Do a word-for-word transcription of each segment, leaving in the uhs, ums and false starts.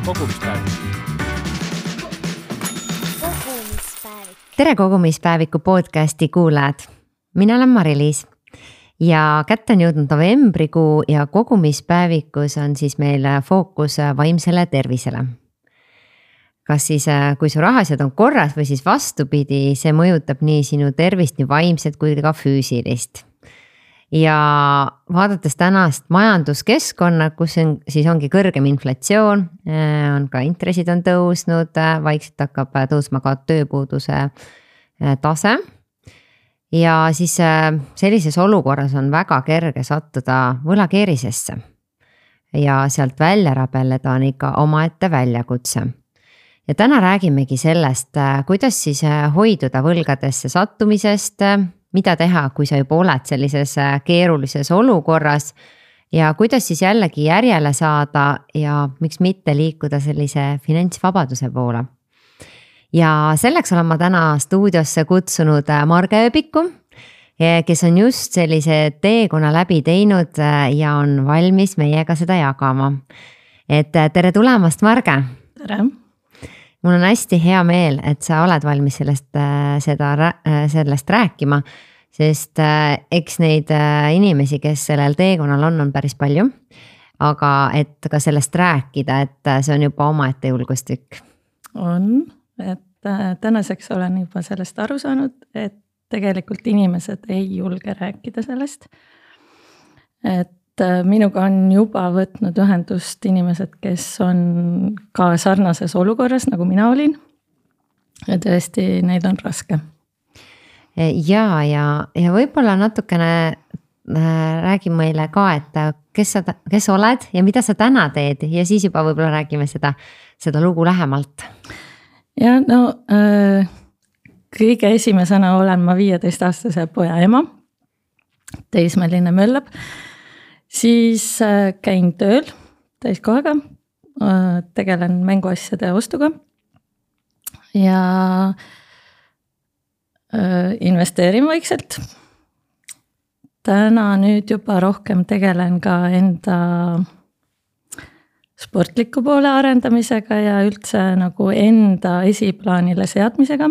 kogumispäevik. tere kogumispäeviku podcasti kuulajad. Mina olen Mari-Liis ja kätte on jõudnud novembrikuu ja kogumispäevikus on siis meil fookus vaimsele tervisele. Kas siis, kui su rahasjad on korras või siis vastupidi, see mõjutab nii sinu tervist, nii vaimset kui ka füüsilist. Ja vaadates tänast majanduskeskkonna, kus on, siis ongi kõrgem inflatsioon, on ka intressid on tõusnud, vaikselt hakkab tõusma ka tööpuuduse tase. Ja siis sellises olukorras on väga kerge sattuda võlakeerisesse ja sealt välja rabeleda on ikka omaette väljakutse. Ja täna räägimegi sellest, kuidas siis hoiduda võlgadesse sattumisest, mida teha, kui sa juba oled sellises keerulises olukorras ja kuidas siis jällegi järjele saada ja miks mitte liikuda sellise finantsvabaduse poole. Ja selleks olen ma täna stuudiosse kutsunud Marge Ööbiku, kes on just sellise teekonna läbi teinud ja on valmis meiega seda jagama. Et tere tulemast, Marge! Tere! Mul on hästi hea meel, et sa oled valmis sellest, seda, sellest rääkima, sest eks neid inimesi, kes sellel teekonnal on, on päris palju, aga et ka sellest rääkida, et see on juba omaette julgustükk. On, et tänaseks olen juba sellest aru saanud, et tegelikult inimesed ei julge rääkida sellest, et minuga on juba võtnud ühendust inimesed, kes on ka sarnases olukorras, nagu mina olin. Ja tõesti, neil on raske. Ja, ja, ja võib-olla natukene räägi meile ka, et kes sa, kes oled ja mida sa täna teed ja siis juba võib-olla räägime seda, seda lugu lähemalt. Ja no kõige esimesena olen ma viieteistaastase poja ema, teismeline möllab. Siis käin tööl täiskohaga, tegelen mänguasjade ostuga ja investeerin vaikselt. Täna nüüd juba rohkem tegelen ka enda sportliku poole arendamisega ja üldse nagu enda esiplaanile seadmisega.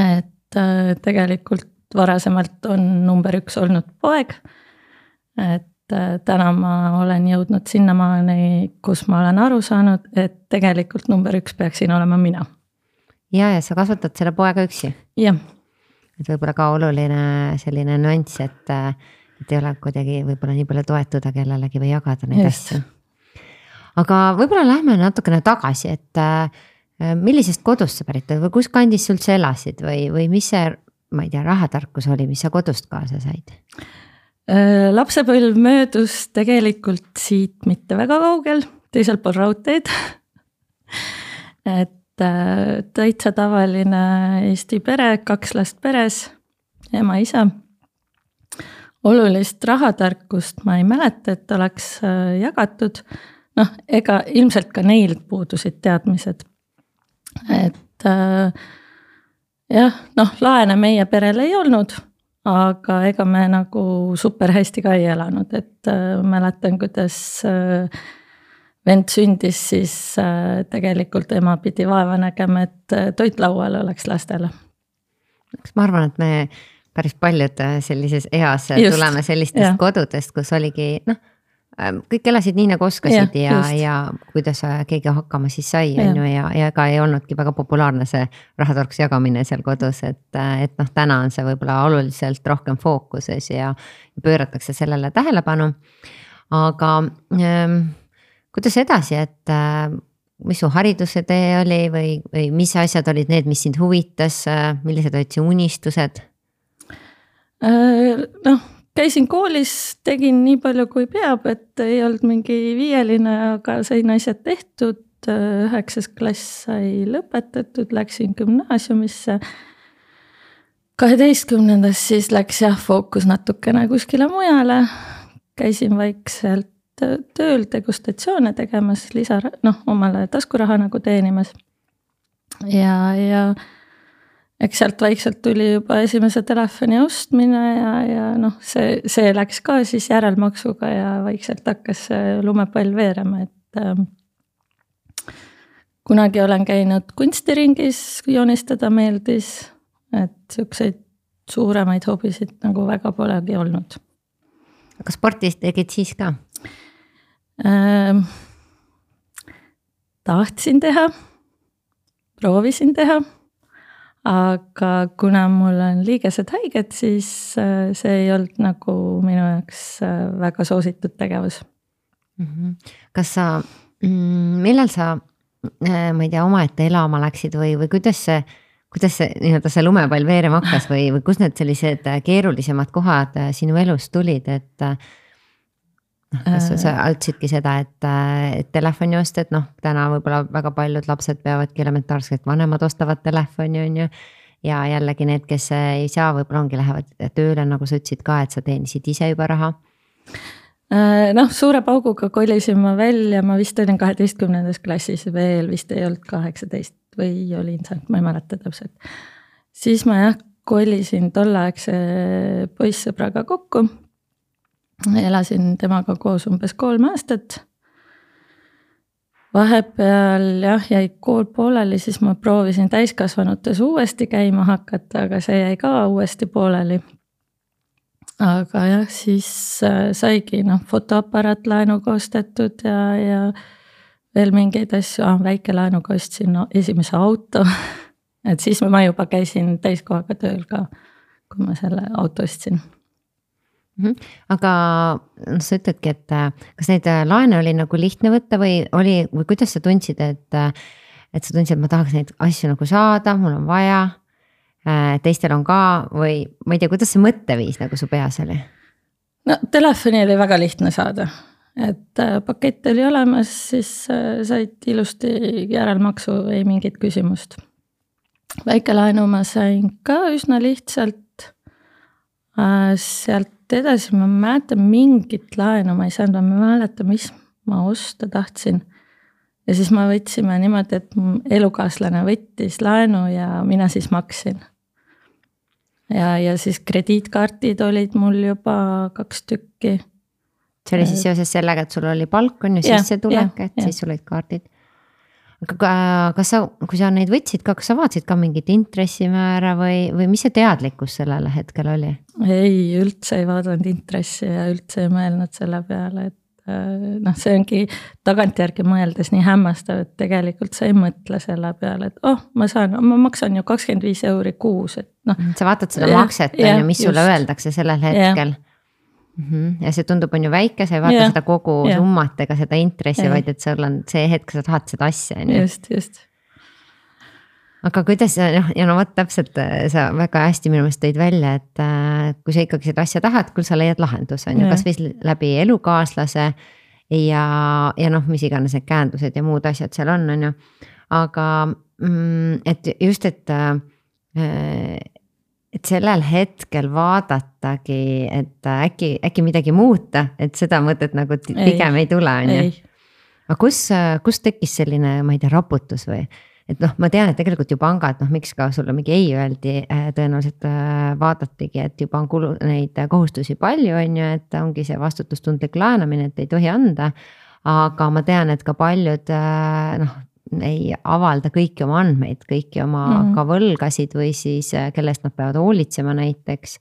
Et tegelikult varasemalt on number üks olnud poeg. Et täna ma olen jõudnud sinnamaani, kus ma olen aru saanud, et tegelikult number üks peaksin olema mina. Ja, ja sa kasvatad selle poega üksi? Jah. Et võib-olla ka oluline selline nüanss, et, et ei ole kuidagi võib-olla nii palju toetuda kellelegi või jagada neid Just. asju. Aga võib-olla lähme natukene tagasi, et millisest kodust sa pärit või kus kandis sul üldse elasid või, või mis see, ma ei tea, rahatarkus oli, mis sa kodust kaasa said? Lapsepõlv möödus tegelikult siit mitte väga kaugel, teisel pool raudteed. Et täitsa tavaline Eesti pere, kaks last peres, ema, isa. Olulist rahatarkust ma ei mäleta, et oleks jagatud. Noh, ega ilmselt ka neil puudusid teadmised. Et jah, noh, laene meie perel ei olnud. Aga ega me nagu super hästi ka ei elanud, et äh, mäletan, kuidas äh, vend sündis, siis äh, tegelikult ema pidi vaeva nägema, et äh, toit laual oleks lastele. Ma arvan, et me päris paljud sellises eas Just, tuleme sellistest jah. Kodudest, kus oligi, noh, kõik elasid nii nagu oskasid ja, ja, ja kuidas keegi hakkama siis sai ja, ja, ja ega ei olnudki väga populaarne see rahatarkus jagamine seal kodus, et, et noh, täna on see võib-olla oluliselt rohkem fookuses ja pööratakse sellele tähelepanu. Aga ähm, kuidas edasi, et äh, mis su hariduse tee oli või, või mis asjad olid need, mis sind huvitas, millised olid su unistused? Äh, noh, käisin koolis, tegin nii palju kui peab, et ei olnud mingi viieline, aga sain asjad tehtud. Üheksas klass sai lõpetatud, läksin gümnaasiumisse. kaheteistkümnendas siis läks jah fookus natukene kuskile mujale. Käisin vaikselt tööl degustatsioone tegemas, lisa, noh, omale taskuraha nagu teenimas. Ja, ja eks sealt vaikselt tuli juba esimese telefoni ostmine ja, ja noh, see, see läks ka siis järelmaksuga ja vaikselt hakkas lumepall veerema, et kunagi olen käinud kunstiringis, joonistada meeldis, et siukseid suuremaid hobisid nagu väga polegi olnud. Aga spordis tegid siis ka? Ähm, tahtsin teha, proovisin teha, aga kuna mul on liigesed haiged, siis see ei olnud nagu minu jaoks väga soositud tegevus. Kas sa, millal sa, ma ei tea, omaette elama läksid või, või kuidas see, kuidas see, nii-öelda see lumepall veerema hakkas või, või kus need sellised keerulisemad kohad sinu elus tulid, et kas sa, sa altsidki seda, et, et telefoni ostad, noh, täna võib-olla väga paljud lapsed peavadki elementaarselt, vanemad ostavad telefoni, on ju, ja jällegi need, kes ei saa, võib-olla ongi lähevad tööle, nagu sa ütlesid ka, et sa teenisid ise juba raha. Noh, suure pauguga kolisin ma välja, ma vist olin kaheteistkümnendas klassis, veel vist ei olnud kaheksateist või olin seal, ma ei mäleta täpselt. Siis ma jah, kolisin tolleaegse poissõbraga kokku, elasin temaga koos umbes kolm aastat. Vahepeal jah, jäi kool pooleli, siis ma proovisin täiskasvanutes uuesti käima hakata, aga see jäi ka uuesti pooleli. Aga jah, siis saigi noh, fotoaparaat laenuga ostetud ja, ja veel mingeid asju, ah, väike laenuga ostsin no, esimese auto. Et siis ma juba käisin täiskohaga tööl ka, kui ma selle auto ostsin. Aga no, sa ütledki, et kas neid laene oli nagu lihtne võtta või oli, või kuidas sa tundsid, et, et sa tundsid, et ma tahaks neid asju nagu saada, mul on vaja, teistel on ka või ma ei tea, kuidas see mõtteviis nagu su peas oli? No telefoni oli väga lihtne saada, et pakett oli olemas, siis said ilusti järelmaksu, ei mingit küsimust. Väikelaenu ma sain ka üsna lihtsalt, sealt edasi ma mäletan mingit laenu, ma ei saanud, ma mäleta, mis ma osta tahtsin. Ja siis ma võtsime niimoodi, et elukaaslane võttis laenu ja mina siis maksin. Ja, ja siis krediitkaartid olid mul juba kaks tükki. See oli siis seoses sellega, et sul oli palk, on ju sisse tulek, et ja. Siis sul olid kaardid. Aga kas sa, kui sa neid võtsid ka, kas sa vaatasid ka mingit intressimäära või, või mis see teadlikkus sellele hetkel oli? Ei, üldse ei vaadanud intressi ja üldse ei mõelnud selle peale, et noh, see ongi tagantjärgi mõeldes nii hämmastav, et tegelikult sa ei mõtle selle peale, et oh, ma saan, ma maksan ju kakskümmend viis euri kuus, et noh. Sa vaatad seda ja, makset, ja, on ju, mis just. Sulle öeldakse sellel hetkel. Ja. ja see tundub on ju väike, sa ei vaata ja. Seda kogu ja. Summat ega seda intressi, ja. Vaid et sul on see hetk, sa tahad seda asja. Just, just. Aga kuidas, noh, ja no võt täpselt sa väga hästi minu meelest tõid välja, et kui sa ikkagi seda asja tahad, küll sa leiad lahendus, on ju, kas või läbi elukaaslase ja, ja noh, mis iganes need käendused ja muud asjad seal on, on ju. Aga et just, et, et sellel hetkel vaadatagi, et äkki, äkki midagi muuta, et seda mõtet nagu pigem ei, ei tule, on ju. Aga kus, kus tekkis selline, ma ei tea, raputus või? Et noh, ma tean, et tegelikult ju pangad, noh, miks ka sulle mingi ei öeldi, tõenäoliselt vaadatigi, et juba on kulu, neid kohustusi palju, on ju, et ongi see vastutustundlik laenamine, et ei tohi anda. Aga ma tean, et ka paljud noh, ei avalda kõiki oma andmeid, kõiki oma mm. ka võlgasid või siis kellest nad peavad hoolitsema näiteks.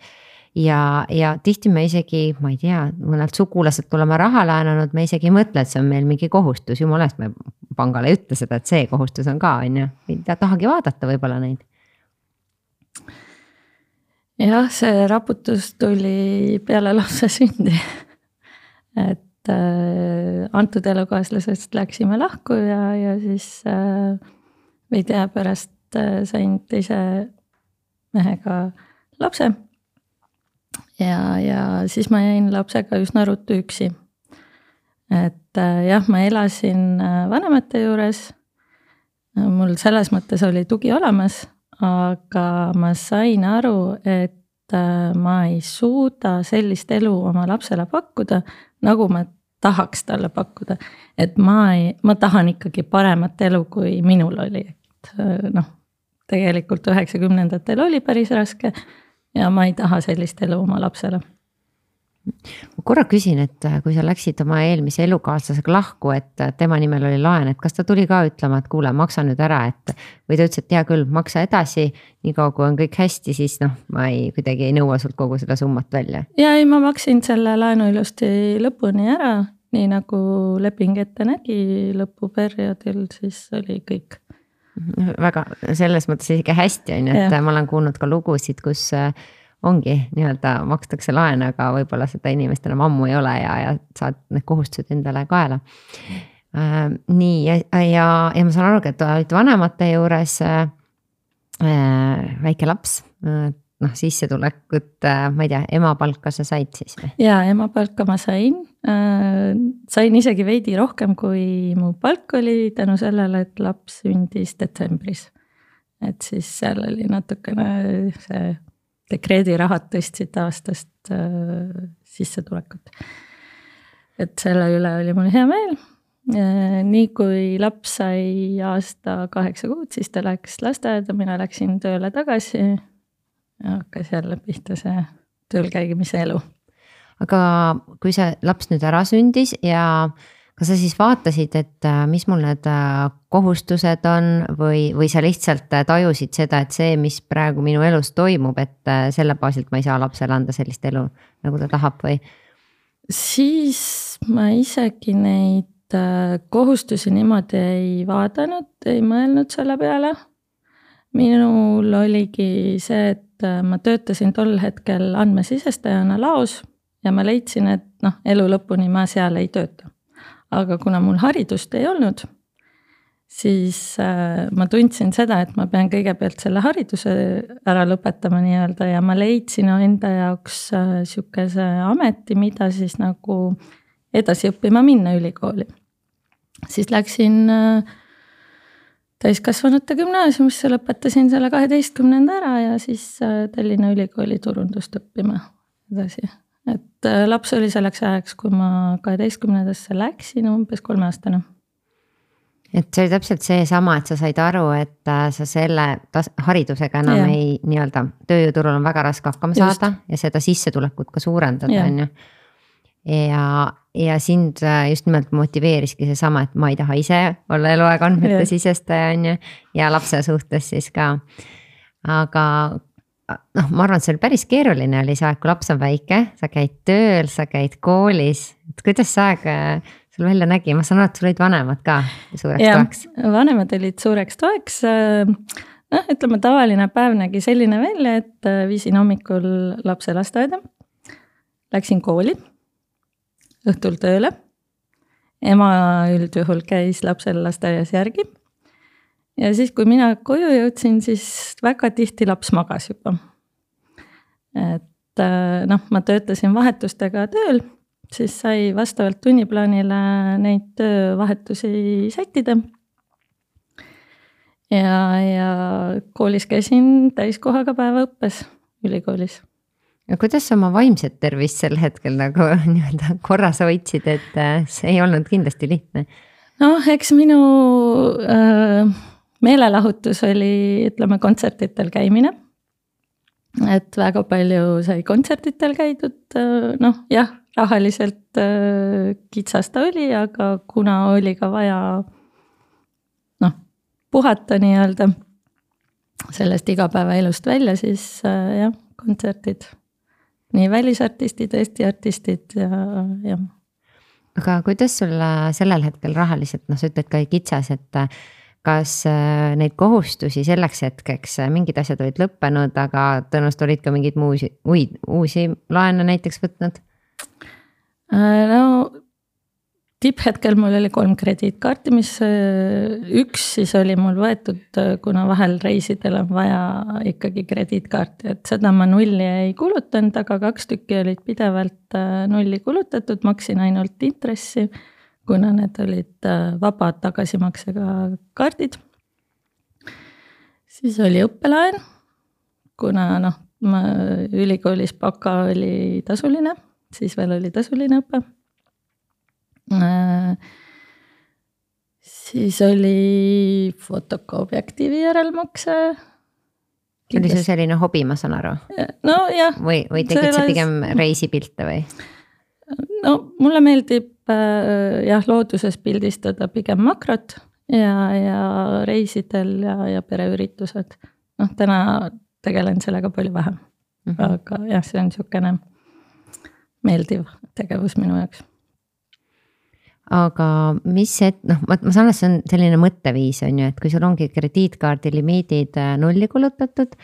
Ja, ja tihti me isegi, ma ei tea, mõnelt sugulased tuleme raha laenanud, me isegi ei mõtle, et see on meil mingi kohustus, jumalast me pangale ei ütle seda, et see kohustus on ka, on ju, ei tahagi vaadata võib-olla neid. Jah, see raputus tuli peale lapse sündi, et äh, antud elukaaslasest läksime lahku ja, ja siis äh, veidi aja pärast äh, sain teise mehega lapse. Ja, ja siis ma jäin lapsega üsna ruttu üksi. Et jah, ma elasin vanemate juures. Mul selles mõttes oli tugi olemas, aga ma sain aru, et ma ei suuda sellist elu oma lapsele pakkuda, nagu ma tahaks talle pakkuda. Et ma, ei, ma tahan ikkagi paremat elu, kui minul oli. Et, noh, tegelikult üheksakümnendatel oli päris raske. Ja ma ei taha sellist elu oma lapsele. Ma korra küsin, et kui sa läksid oma eelmise elukaaslasega lahku, et tema nimel oli laen, et kas ta tuli ka ütlema, et kuule, maksa nüüd ära, et või ta ütles, et hea küll, maksa edasi, nii kaua kui on kõik hästi, siis noh, ma ei, kuidagi ei nõua sult kogu seda summat välja. Ja ei, ma maksin selle laenu ilusti lõpuni ära, nii nagu leping ette nägi lõpuperioodil, siis oli kõik. Väga selles mõttes isegi hästi on, et ja. Ma olen kuulnud ka lugusid, kus ongi nii-öelda makstakse laen, aga võib-olla seda inimest enam ammu ei ole ja, ja saad need kohustused endale kaela. Äh, nii ja, ja, ja ma saan aru, et olid vanemate juures äh, väike laps, äh, noh sissetulekut, äh, ma ei tea, ema palka sa said siis või? Jaa, ema palka ma sain, äh, sain isegi veidi rohkem, kui mu palk oli tänu sellele, et laps sündis detsembris. Et siis seal oli natukene see dekreedirahad tõstsid aastast äh, sissetulekut. Et selle üle oli mul hea meel. Äh, nii kui laps sai aasta kaheksa kuud, siis ta läks lasteaeda, mina läksin tööle tagasi ja hakkas jälle pihta see tööl käigimise elu. Aga kui see laps nüüd ära sündis ja kas sa siis vaatasid, et mis mul need kohustused on või, või sa lihtsalt tajusid seda, et see, mis praegu minu elus toimub, et selle baasilt ma ei saa lapsele anda sellist elu, nagu ta tahab või? Siis ma isegi neid kohustusi niimoodi ei vaadanud, ei mõelnud selle peale. Minul oligi see, et ma töötasin tol hetkel andmesisestajana laos ja ma leidsin, et noh, elu lõpuni ma seal ei tööta. Aga kuna mul haridust ei olnud, siis äh, ma tundsin seda, et ma pean kõigepealt selle hariduse ära lõpetama nii-öelda ja ma leidsin enda jaoks äh, sihukese ameti, mida siis nagu edasi õppima minna ülikooli. Siis läksin äh, täiskasvanute gümnaasiumisse, lõpetasin selle kaheteistkümnenda ära ja siis äh, Tallinna ülikooli turundust õppima edasi. Et laps oli selleks ajaks, kui ma kaheteistkümnendasse läksin, umbes kolmeaastane. Et see oli täpselt see sama, et sa said aru, et sa selle tas- haridusega enam ja. ei nii-öelda tööjõuturul on väga raske hakkama just. Saada ja seda sissetulekut ka suurendada. Ja. On ju. Ja, ja sind just nimelt motiveeriski see sama, et ma ei taha ise olla eluaeg andmete sisestaja on ju, ja lapse suhtes siis ka. Aga noh, ma arvan, et see oli päris keeruline oli see aeg, kui laps on väike, sa käid tööl, sa käid koolis, et kuidas see aeg sul välja nägi, ma saan aru, et sul olid vanemad ka suureks ja, toeks. Vanemad olid suureks toeks, noh, ütleme tavaline päev nägi selline välja, et viisin hommikul lapse lasteaeda, läksin kooli, õhtul tööle, ema üldjuhul käis lapsel lasteaias järgi. Ja siis, kui mina koju jõudsin, siis väga tihti laps magas juba. Et noh, ma töötasin vahetustega tööl, siis sai vastavalt tunniplaanile neid töövahetusi sättida. Ja, ja koolis käisin täiskohaga päeva õppes ülikoolis. Ja kuidas sa oma vaimset tervist sel hetkel nagu nii-öelda korras hoidsid, et see ei olnud kindlasti lihtne? Noh, eks minu... Äh, meelelahutus oli, ütleme, kontsertitel käimine. Et väga palju sai kontsertitel käidud, noh jah, rahaliselt kitsasta oli, aga kuna oli ka vaja noh, puhata nii-öelda sellest igapäevaelust välja, siis jah, kontsertid. Nii välisartistid, Eesti artistid ja jah. Aga kuidas sul sellel hetkel rahaliselt, noh sa ütled ka kitsas, et kas neid kohustusi selleks hetkeks, mingid asjad olid lõppenud, aga tõenäoliselt olid ka mingid muusi, uid, uusi laene näiteks võtnud? No tipphetkel mul oli kolm krediitkaarti, mis üks siis oli mul võetud, kuna vahel reisidel on vaja ikkagi krediitkaarti, et seda ma nulli ei kulutanud, aga kaks tükki olid pidevalt nulli kulutatud, maksin ainult intressi, kuna need olid vabad tagasimaksega kaardid. Siis oli õppelaen, kuna noh, ma ülikoolis baka oli tasuline, siis veel oli tasuline õpe. Siis oli fotokoobiaktiivi järelmakse. oli see selline hobi, ma saan aru? No jah. Või, või tegid selles... sa pigem reisipilte või? No mulle meeldib äh, jah, looduses pildistada pigem makrot ja, ja reisidel ja, ja pereüritused. Noh, täna tegelen sellega palju vähem. Mm -hmm. Aga jah, see on niisugune meeldiv tegevus minu jaoks. Aga mis see, noh, ma, ma saan, et see on selline mõtteviis on ju, et kui sul ongi krediitkaardi limiidid nulli kulutatud,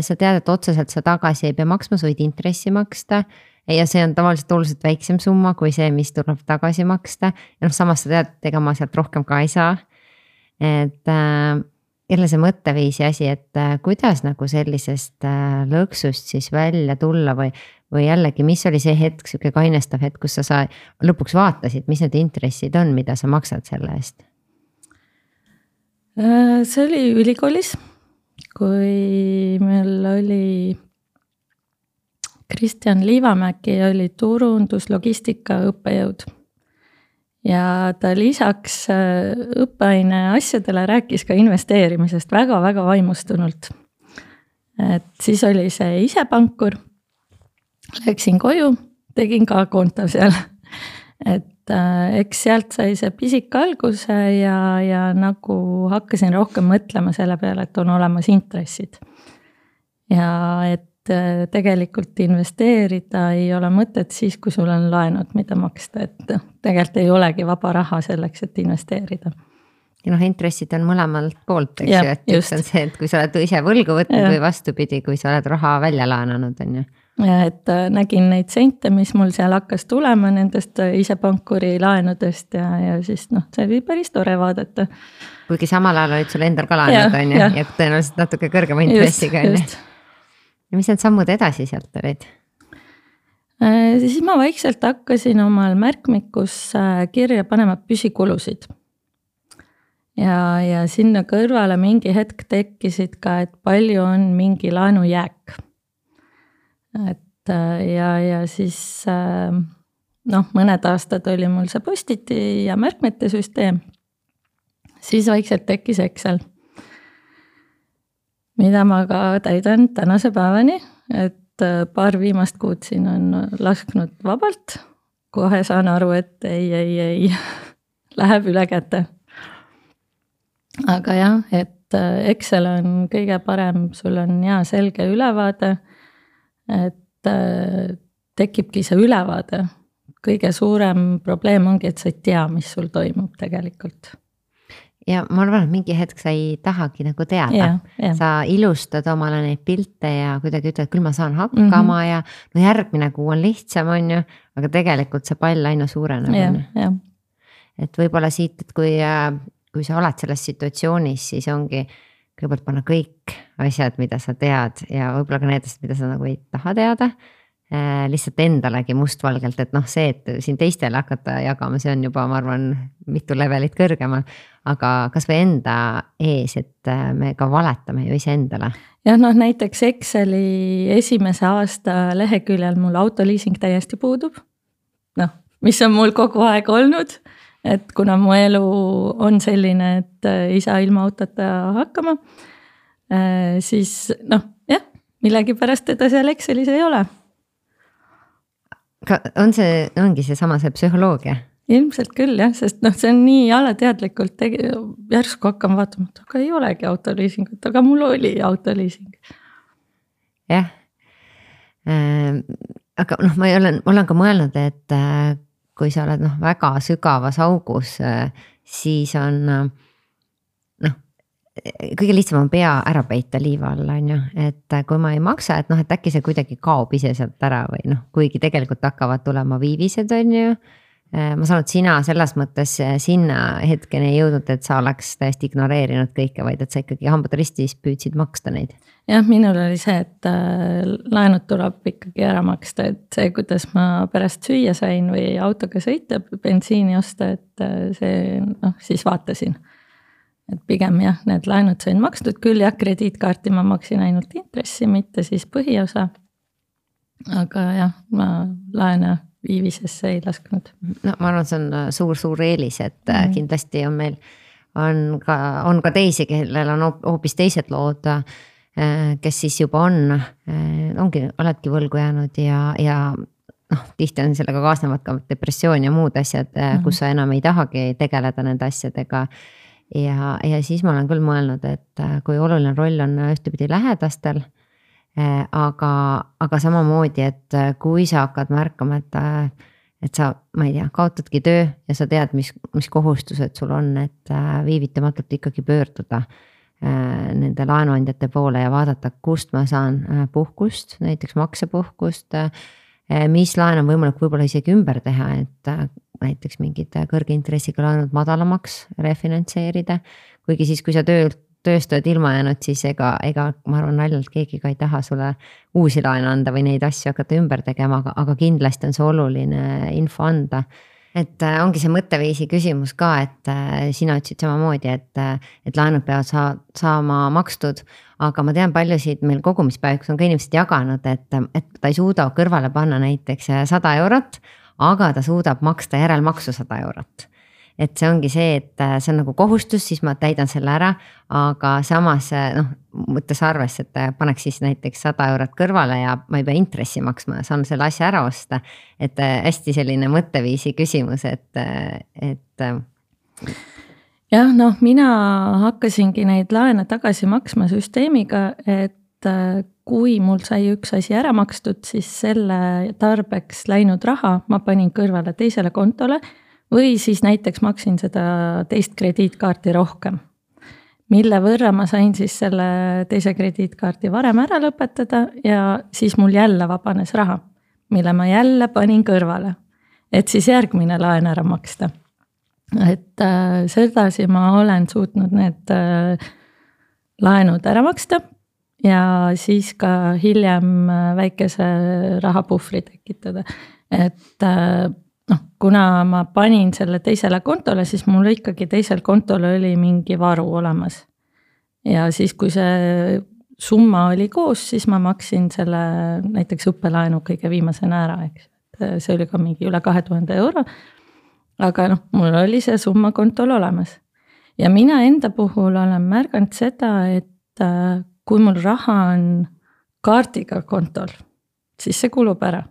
sa tead, et otseselt sa tagasi ei pea maksma, sa võid intressi maksta ja see on tavaliselt oluliselt väiksem summa kui see, mis tuleb tagasi maksta. Ja noh, samas sa tead, et ega ma sealt rohkem ka ei saa. Et äh, jälle see mõtteviisi asi, et äh, kuidas nagu sellisest äh, lõksust siis välja tulla või Või jällegi, mis oli see hetk, siuke kainestav hetk, kus sa, sa lõpuks vaatasid, mis need intressid on, mida sa maksad selle eest? See oli ülikoolis, kui meil oli Kristjan Liivamäki oli turunduslogistika õppejõud. Ja ta lisaks õppeaine asjadele rääkis ka investeerimisest väga-väga vaimustunult. Et siis oli see ise pankur. Läksin koju, tegin ka konto seal, et äh, eks sealt sai see pisik alguse ja, ja nagu hakkasin rohkem mõtlema selle peale, et on olemas intressid. Ja et äh, tegelikult investeerida ei ole mõtet siis, kui sul on laenud, mida maksta, et tegelikult ei olegi vaba raha selleks, et investeerida. Ja noh, intressid on mõlemalt poolt, eks ju, et just on see, et kui sa oled ise võlgu võtnud ja. Või vastupidi, kui sa oled raha välja laenanud, on ju. Ja et nägin neid sente, mis mul seal hakkas tulema nendest ise pankuri laenudest ja, ja siis noh, see oli päris tore vaadata. Kuigi samal ajal olid sul endal ka laenud, on ju, ja, ja tõenäoliselt natuke kõrgema intressiga. Just, just. Ja mis need sammud edasi sealt olid? Siis ma vaikselt hakkasin omal märkmikus kirja panema püsikulusid. Ja, ja sinna kõrvale mingi hetk tekkisid ka, et palju on mingi laenu jääk. Et ja, ja siis noh, mõned aastad oli mul see postiti ja märkmete süsteem. Siis vaikselt tekkis Excel, mida ma ka täidan tänase päevani, et paar viimast kuud siin on lasknud vabalt. Kohe saan aru, et ei, ei, ei, läheb üle käte. Aga jah, et Excel on kõige parem, sul on hea selge ülevaade, et tekibki see ülevaade. Kõige suurem probleem ongi, et sa ei tea, mis sul toimub tegelikult. Ja ma arvan, et mingi hetk sa ei tahagi nagu teada. Ja, ja. Sa ilustad omale neid pilte ja kuidagi ütled, küll ma saan hakkama mm -hmm. ja no järgmine kuu on lihtsam, on ju, aga tegelikult see pall aina suureneb. Ja, ja. Et võib-olla siit, et kui, kui sa oled selles situatsioonis, siis ongi kõigepealt panna kõik asjad, mida sa tead ja võib-olla ka need, mida sa nagu ei taha teada, äh, lihtsalt endalegi mustvalgelt, et noh see, et siin teistele hakata jagama, see on juba, ma arvan, mitu levelit kõrgemal, aga kas või enda ees, et me ka valetame ju ise endale. Jah, noh näiteks Exceli esimese aasta leheküljel mul autoliising täiesti puudub, noh, mis on mul kogu aeg olnud. Et kuna mu elu on selline, et ei saa ilma autota hakkama, siis noh, jah, millegi pärast teda seal Excelis ei ole. On see, ongi see sama see psühholoogia? Ilmselt küll jah, sest noh, see on nii alateadlikult tegi, järsku hakkama vaatama, et aga ei olegi autoliisingut, aga mul oli autoliising. Jah, äh, aga noh, ma olen, ma olen ka mõelnud, et äh, kui sa oled noh, väga sügavas augus, siis on noh, kõige lihtsam on pea ära peita liiva alla, on ju, et kui ma ei maksa, et noh, et äkki see kuidagi kaob ise sealt ära või noh, kuigi tegelikult hakkavad tulema viivised, on ju. Ma saan, et sina selles mõttes sinna hetkeni ei jõudnud, et sa oleks täiesti ignoreerinud kõike, vaid et sa ikkagi hambad ristis püüdsid maksta neid. Jah, minul oli see, et laenud tuleb ikkagi ära maksta, et see, kuidas ma pärast süüa sain või autoga sõita, bensiini osta, et see noh, siis vaatasin. Et pigem jah, need laenud sain makstud küll jah, krediitkaarti ma maksin ainult intressi, mitte siis põhiosa. Aga jah, ma laena viivisesse ei lasknud. No ma arvan, see on suur-suur eelis, et mm. kindlasti on meil, on ka, on ka teisi, kellel on hoopis teised lood. kes siis juba on, ongi, oledki võlgu jäänud ja, ja noh, tihti on sellega kaasnevad ka depressioon ja muud asjad, mm-hmm. kus sa enam ei tahagi tegeleda nende asjadega. Ja, ja siis ma olen küll mõelnud, et kui oluline roll on ühtepidi lähedastel, aga, aga samamoodi, et kui sa hakkad märkama, et et sa, ma ei tea, kaotadki töö ja sa tead, mis, mis kohustused sul on, et viivitamatult ikkagi pöörduda nende laenuandjate poole ja vaadata, kust ma saan puhkust, näiteks maksepuhkust, mis laen on võimalik võib-olla isegi ümber teha, et näiteks mingid kõrge intressiga laenud madalamaks refinantseerida, kuigi siis, kui sa töölt tööst oled ilma jäänud, siis ega, ega ma arvan naljalt keegi ka ei taha sulle uusi laene anda või neid asju hakata ümber tegema, aga, aga kindlasti on see oluline info anda. Et ongi see mõtteviisi küsimus ka, et sina ütlesid samamoodi, et, et laenud peavad saa, saama makstud, aga ma tean paljusid meil kogumispäevikus on ka inimesed jaganud, et, et ta ei suuda kõrvale panna näiteks sada eurot, aga ta suudab maksta järelmaksu sada eurot. Et see ongi see, et see on nagu kohustus, siis ma täidan selle ära, aga samas noh, mõttes arvesse, et paneks siis näiteks sada eurot kõrvale ja ma ei pea intressi maksma, saan selle asja ära osta. Et hästi selline mõtteviisi küsimus, et, et. jah, noh, mina hakkasingi neid laene tagasi maksma süsteemiga, et kui mul sai üks asi ära makstud, siis selle tarbeks läinud raha ma panin kõrvale teisele kontole või siis näiteks maksin seda teist krediitkaarti rohkem, mille võrra ma sain siis selle teise krediitkaarti varem ära lõpetada ja siis mul jälle vabanes raha, mille ma jälle panin kõrvale, et siis järgmine laen ära maksta. Et äh, sedasi ma olen suutnud need äh, laenud ära maksta ja siis ka hiljem väikese rahapuhvri tekitada, et äh, noh, kuna ma panin selle teisele kontole, siis mul ikkagi teisel kontol oli mingi varu olemas. Ja siis, kui see summa oli koos, siis ma maksin selle näiteks õppelaenu kõige viimasena ära, eks. See oli ka mingi üle kahe tuhande euro, aga noh, mul oli see summa kontol olemas. Ja mina enda puhul olen märganud seda, et kui mul raha on kaardiga kontol, siis see kulub ära.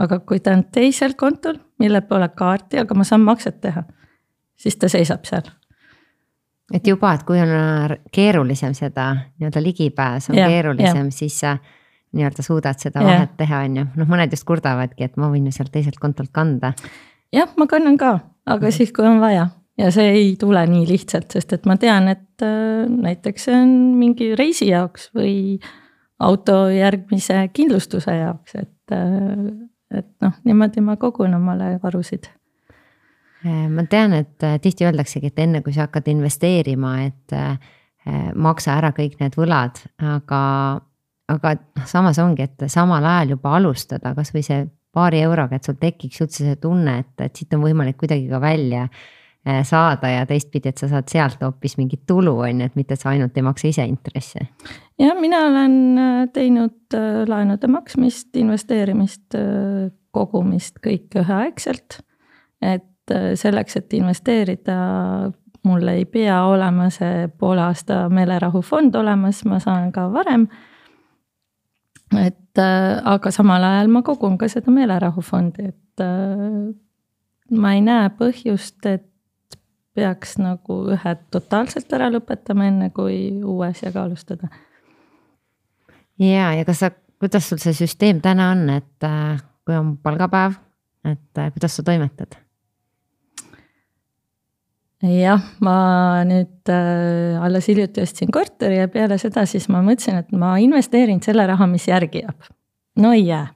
Aga kui ta on teisel kontol, mille pole kaarti, aga ma saan makset teha, siis ta seisab seal. Et juba, et kui on keerulisem seda nii-öelda ligipääs on ja, keerulisem, ja. Siis sa nii-öelda suudad seda ja. Vahet teha, on ju. Noh, mõned just kurdavadki, et ma võin ju sealt teiselt kontolt kanda. Jah, ma kannan ka, aga mm. siis, kui on vaja. Ja see ei tule nii lihtsalt, sest et ma tean, et äh, näiteks see on mingi reisi jaoks või auto järgmise kindlustuse jaoks, et äh, et noh, niimoodi ma kogun omale varusid. Ma tean, et tihti öeldaksegi, et enne kui sa hakkad investeerima, et maksa ära kõik need võlad, aga, aga samas ongi, et samal ajal juba alustada, kas või see paari euroga, et sul tekiks üldse see tunne, et, et siit on võimalik kuidagi ka välja saada ja teistpidi, et sa saad sealt hoopis mingit tulu, on, et mitte sa ainult ei maksa ise intressi. Ja mina olen teinud laenude maksmist, investeerimist, kogumist kõik üheaegselt, et selleks, et investeerida, mul ei pea olema see poole aasta meelerahufond olemas, ma saan ka varem, et aga samal ajal ma kogun ka seda meelerahufondi, et ma ei näe põhjust, et peaks nagu ühe totaalselt ära lõpetama enne, kui uues ja ka alustada. Ja, ja kas sa, kuidas sul see süsteem täna on, et kui on palgapäev, et kuidas sa toimetad? Jah, ma nüüd äh, alles hiljuti ostsin korteri ja peale seda siis ma mõtlesin, et ma investeerin selle raha, mis järgi jääb. No ei jää.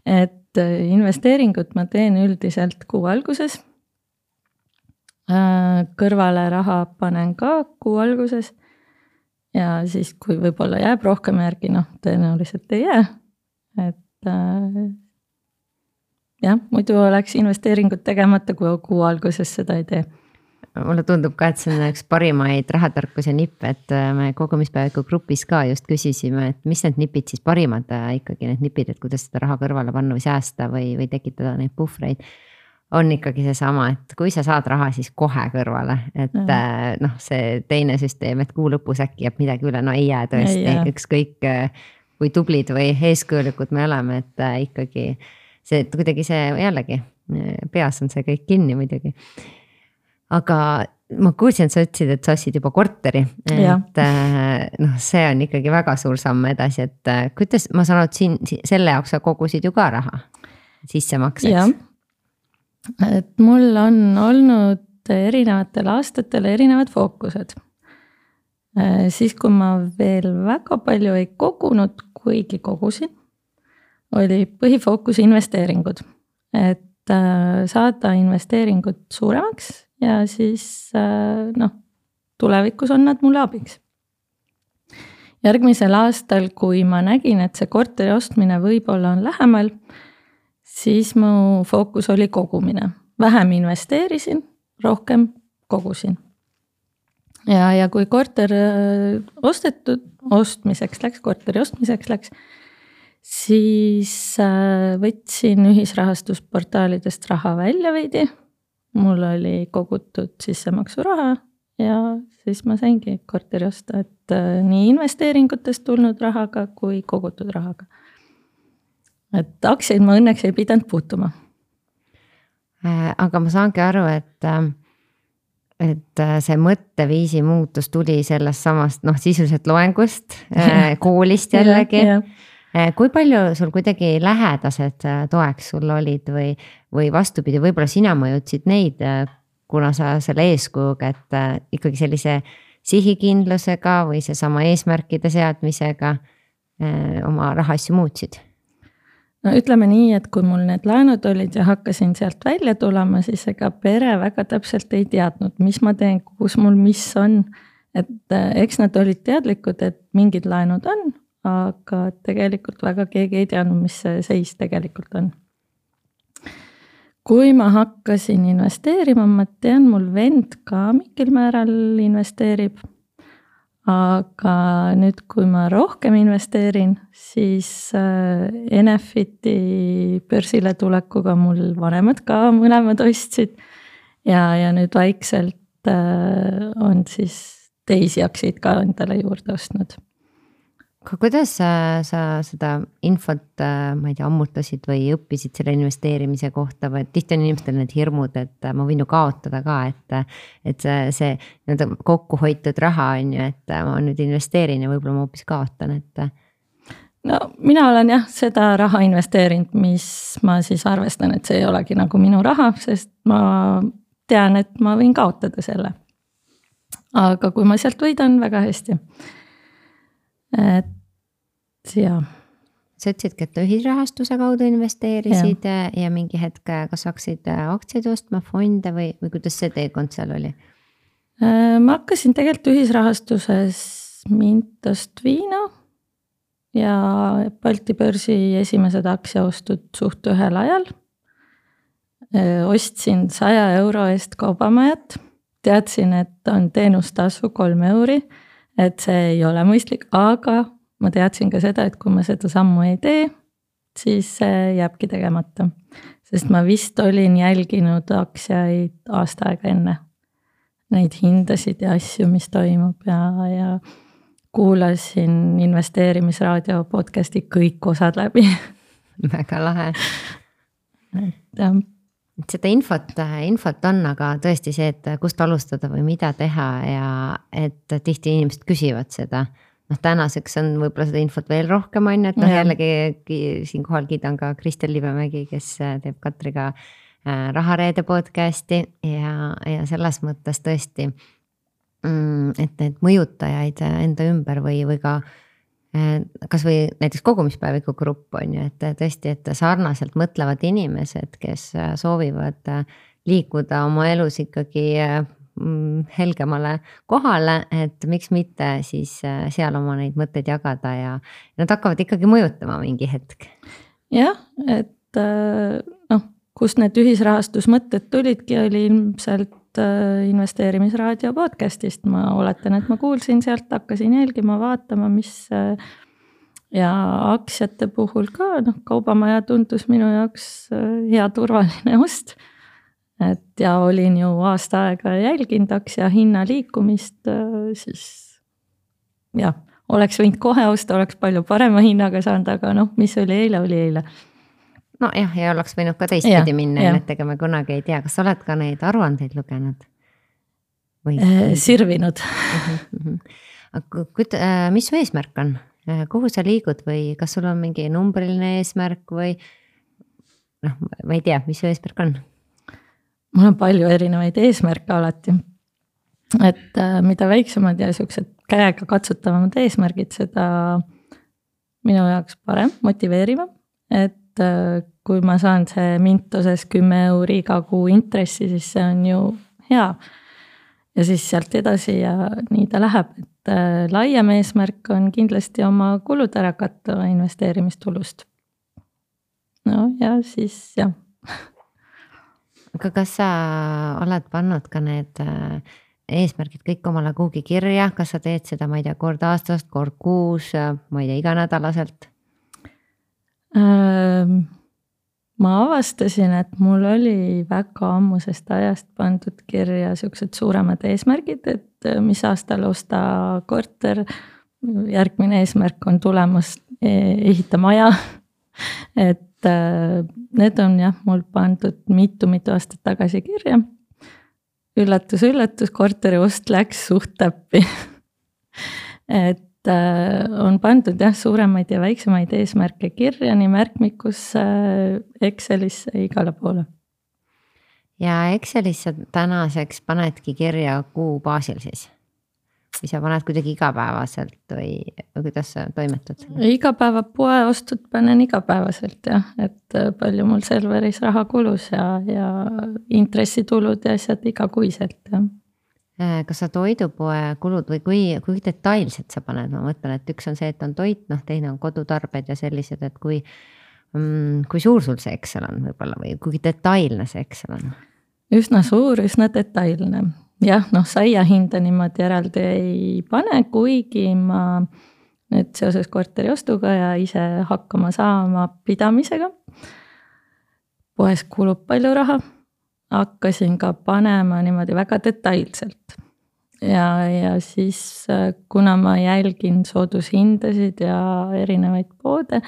Et investeeringut ma teen üldiselt kuu alguses. Kõrvale raha panen ka kuu alguses ja siis, kui võib-olla jääb rohkem järgi, noh, tõenäoliselt ei jää. Et äh, jah, muidu oleks investeeringut tegemata, kui kuu alguses seda ei tee. Mulle tundub ka, et see on üks parimaid rahatarkuse nipp, et me kogumispäeviku grupis ka just küsisime, et mis need nipid siis parimad ikkagi need nipid, et kuidas seda raha kõrvale panna või säästa või, või tekitada neid puhvreid. on ikkagi seesama, et kui sa saad raha, siis kohe kõrvale, et mm. noh, see teine süsteem, et kuu lõpus äkki jääb midagi üle, no ei jää tõesti, ükskõik kui tublid või eeskujulikud me oleme, et ikkagi see, et kuidagi see jällegi peas on see kõik kinni muidugi. Aga ma kuulsin, et sa ütlesid, et sa ostsid juba korteri, et noh, see on ikkagi väga suur samm edasi, et kuidas ma saan, et siin selle jaoks sa kogusid ju ka raha sissemakseks. Et mul on olnud erinevatel aastatel erinevad fookused. Siis kui ma veel väga palju ei kogunud, kuigi kogusin, oli põhifookus investeeringud. Et saada investeeringud suuremaks ja siis noh, tulevikus on nad mulle abiks. Järgmisel aastal, kui ma nägin, et see korteri ostmine võib-olla on lähemal, siis mu fookus oli kogumine. Vähem investeerisin, rohkem kogusin. Ja, ja kui korter ostetud, ostmiseks läks, korteri ostmiseks läks, siis võtsin ühisrahastusportaalidest raha välja veidi. Mul oli kogutud sissemaksuraha ja siis ma saingi korteri osta, et nii investeeringutest tulnud rahaga kui kogutud rahaga. Et aktsiaid ma õnneks ei pidanud puutuma. Aga ma saangi aru, et, et see mõtteviisi muutus tuli sellest samast, noh, sisuliselt loengust, koolist jällegi. Ja, ja. Kui palju sul kuidagi lähedased toeks sul olid või, või vastupidi, võib-olla sina mõjutsid neid, kuna sa selle eeskujuga, et ikkagi sellise sihikindlusega või see sama eesmärkide seadmisega oma rahasju muutsid? No ütleme nii, et kui mul need laenud olid ja hakkasin sealt välja tulema, siis ega pere väga täpselt ei teadnud, mis ma teen, kus mul mis on. Et eks nad olid teadlikud, et mingid laenud on, aga tegelikult väga keegi ei teadnud, mis see seis tegelikult on. Kui ma hakkasin investeerima, ma tean, mul vend ka mingil määral investeerib. Aga nüüd, kui ma rohkem investeerin, siis Enefiti börsile tulekuga mul vanemad ka mõlemad ostsid. Ja, ja nüüd vaikselt on siis teisi aktsiaid ka endale juurde ostnud. Kuidas sa, sa seda infot, ma ei tea, ammutasid või õppisid selle investeerimise kohta või tihti on inimestel need hirmud, et ma võin ju kaotada ka, et, et see, see kokku hoitud raha on ju, et ma nüüd investeerin ja võib-olla ma hoopis kaotan, et. No mina olen jah seda raha investeerinud, mis ma siis arvestan, et see ei olegi nagu minu raha, sest ma tean, et ma võin kaotada selle. Aga kui ma sealt võidan, väga hästi. Et ja. Sa ütlesidki, et ühisrahastuse kaudu investeerisid ja, ja mingi hetk, kas hakkasid aktsiaid ostma, fonde või, või kuidas see teekond seal oli? Ma hakkasin tegelikult ühisrahastuses Mintost Viino ja Balti börsi esimesed aktsiaostud suht ühel ajal. Ostsin saja euro eest kaubamajat, teadsin, et on teenustasu kolm euri, et see ei ole mõistlik, aga ma teadsin ka seda, et kui ma seda sammu ei tee, siis see jääbki tegemata. Sest ma vist olin jälginud aktsiaid aasta aega enne. Neid hindasid ja asju, mis toimub ja, ja kuulasin investeerimisraadio podcasti kõik osad läbi. Väga lahe. Et jah. Seda infot, infot on, aga tõesti see, et kust alustada või mida teha ja et tihti inimesed küsivad seda. Noh, tänaseks on võib-olla seda infot veel rohkem on, et noh, jällegi siin kohal kiidan ka Kristel Libemägi, kes teeb Katriga Rahareede podcasti ja, ja selles mõttes tõesti, et need mõjutajaid enda ümber või, või ka kas või näiteks kogumispäeviku grupp on ju, et tõesti, et sarnaselt mõtlevad inimesed, kes soovivad liikuda oma elus ikkagi helgemale kohale, et miks mitte siis seal oma neid mõtteid jagada ja nad hakkavad ikkagi mõjutama mingi hetk. Jah, et noh, kus need ühisrahastusmõtted tulidki, oli ilmselt investeerimisraadio podcastist. Ma oletan, et ma kuulsin sealt, hakkasin jälgima, vaatama, mis ja aktsiate puhul ka, noh, kaubamaja tundus minu jaoks hea turvaline ost. et ja olin ju aasta aega jälginud aktsia hinna liikumist, siis jah, oleks võinud kohe osta, oleks palju parema hinnaga saanud, aga noh, mis oli eile, oli eile. No jah, ja oleks võinud ka teistpidi minna, et ega me kunagi ei tea, kas sa oled ka neid aruandeid lugenud? Või... Sirvinud. Mis su eesmärk on? Kuhu sa liigud või kas sul on mingi numbriline eesmärk või noh, ma ei tea, mis su eesmärk on? Mul on palju erinevaid eesmärke alati. Et mida väiksemad ja sellised käega katsutavamad eesmärgid, seda minu jaoks parem, motiveerivam. Et kui ma saan see Mintoses kümme euri iga kuu intressi, siis see on ju hea. Ja siis sealt edasi ja nii ta läheb, et laiem eesmärk on kindlasti oma kulud ära katta investeerimistulust. No ja siis jah. Aga kas sa oled pannud ka need eesmärgid kõik omale kuhugi kirja, kas sa teed seda, ma ei tea, kord aastast, kord kuus, ma ei tea, iganädalaselt? Ma avastasin, et mul oli väga ammusest ajast pandud kirja sellised suuremad eesmärgid, et mis aastal osta korter, järgmine eesmärk on tulemas ehita maja, et need on jah, mul pandud mitu-mitu aastat tagasi kirja. Üllatus, üllatus, korteri ost läks suht täppi. Et on pandud jah, suuremaid ja väiksemaid eesmärke kirja, nii märkmikus, Excelisse, igale poole. Ja Excelisse tänaseks panedki kirja kuu baasil siis? Või sa paned kuidagi igapäevaselt või, või kuidas sa toimetad? Igapäeva poe ostud panen igapäevaselt jah, et palju mul serveris raha kulus ja, ja intressitulud ja asjad igakuiselt jah. Kas sa toidupoe kulud või kui, kui detailselt sa paned? Ma mõtlen, et üks on see, et on toit, noh teine on kodutarbed ja sellised, et kui, kui suur sul see Excel on võib-olla või kui detailne see Excel on? Üsna suur, üsna detailne. Jah, noh, saia hinda niimoodi eraldi ei pane, kuigi ma nüüd seoses korteri ostuga ja ise hakkama saama pidamisega. Poes kulub palju raha. Hakkasin ka panema niimoodi väga detailselt. Ja, ja siis kuna ma jälgin soodushindasid ja erinevaid poode,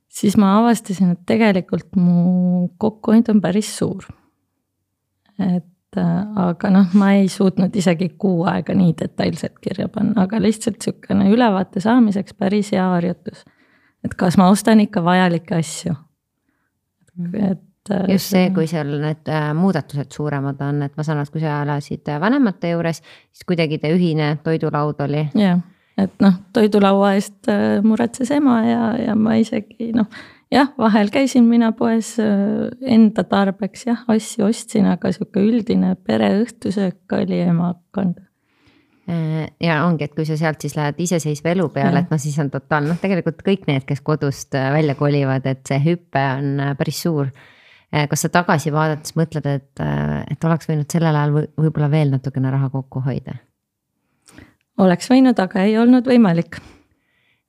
siis ma avastasin, et tegelikult mu kokkuhoid on päris suur. Et aga noh, ma ei suutnud isegi kuu aega nii detailselt kirja panna, aga lihtsalt sükene ülevaate saamiseks päris hea harjutus. Et kas ma ostan ikka vajalikke asju. Et, just see, kui seal need muudatused suuremad on, et ma saan, et kui sa elasid vanemate juures, siis kuidagi te ühine toidulaud oli. Jah, et noh, toidulaua eest muretses ema ja, ja ma isegi noh, jah, vahel käisin mina poes enda tarbeks, jah, asju ostsin, aga siuke üldine pereõhtusöök oli ema kanda. Ja ongi, et kui sa sealt siis lähed iseseisva elu peale, et no siis on totaal, noh tegelikult kõik need, kes kodust välja kolivad, et see hüppe on päris suur. Kas sa tagasi vaadates mõtled, et, et oleks võinud sellel ajal võib-olla veel natukene raha kokku hoida? Oleks võinud, aga ei olnud võimalik.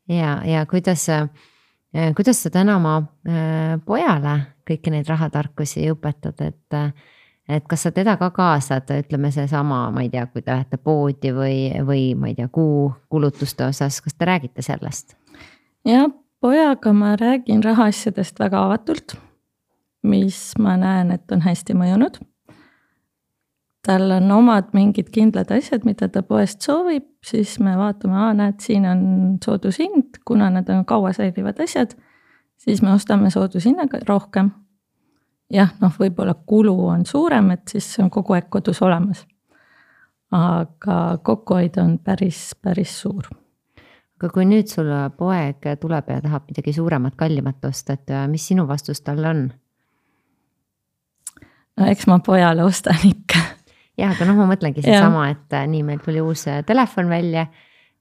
Ja, ja kuidas Kuidas sa täna oma pojale kõiki neid rahatarkusi õpetad, et, et kas sa teda ka kaasad, ütleme see sama, ma ei tea, kui te lähete poodi või, või ma ei tea, kuu kulutuste osas, kas te räägite sellest? Ja pojaga ma räägin rahaasjadest väga avatult, mis ma näen, et on hästi mõjunud. Tal on omad mingid kindlad asjad, mida ta poest soovib, siis me vaatame, aa, näed, siin on soodushind, kuna nad on kaua säilivad asjad, siis me ostame soodushinnaga rohkem. Jah, noh, võib-olla kulu on suurem, et siis on kogu aeg kodus olemas. Aga kokkuhoid on päris, päris suur. Aga kui nüüd sul poeg tuleb ja tahab midagi suuremat, kallimat osta, et mis sinu vastus tal on? No eks ma pojale ostan ikka. Jah, aga noh, ma mõtlengi see ja. sama, et nii meil tuli uus telefon välja,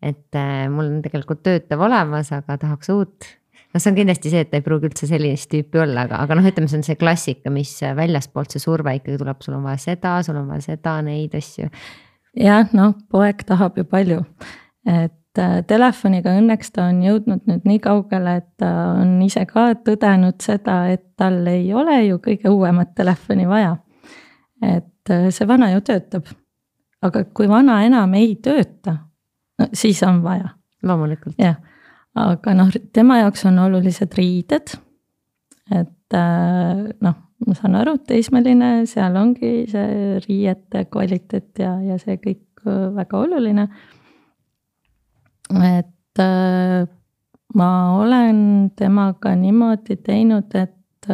et mul on tegelikult töötav olemas, aga tahaks uut. No see on kindlasti see, et ta ei pruugi üldse sellist tüüpi olla, aga, aga noh, ütleme, see on see klassika, mis väljaspoolt see surve ikkagi tuleb, sul on vaja seda, sul on vaja seda, neid asju. Jah, noh, poeg tahab ju palju, et telefoniga õnneks ta on jõudnud nüüd nii kaugele, et ta on ise ka tõdenud seda, et tal ei ole ju kõige uuemat telefoni vaja. et see vana ju töötab. Aga kui vana enam ei tööta, no, siis on vaja. Loomulikult. Jah, aga noh, tema jaoks on olulised riided, et noh, ma saan aru, teismeline, seal ongi see riiete kvaliteet ja, ja see kõik väga oluline. Et ma olen temaga niimoodi teinud, et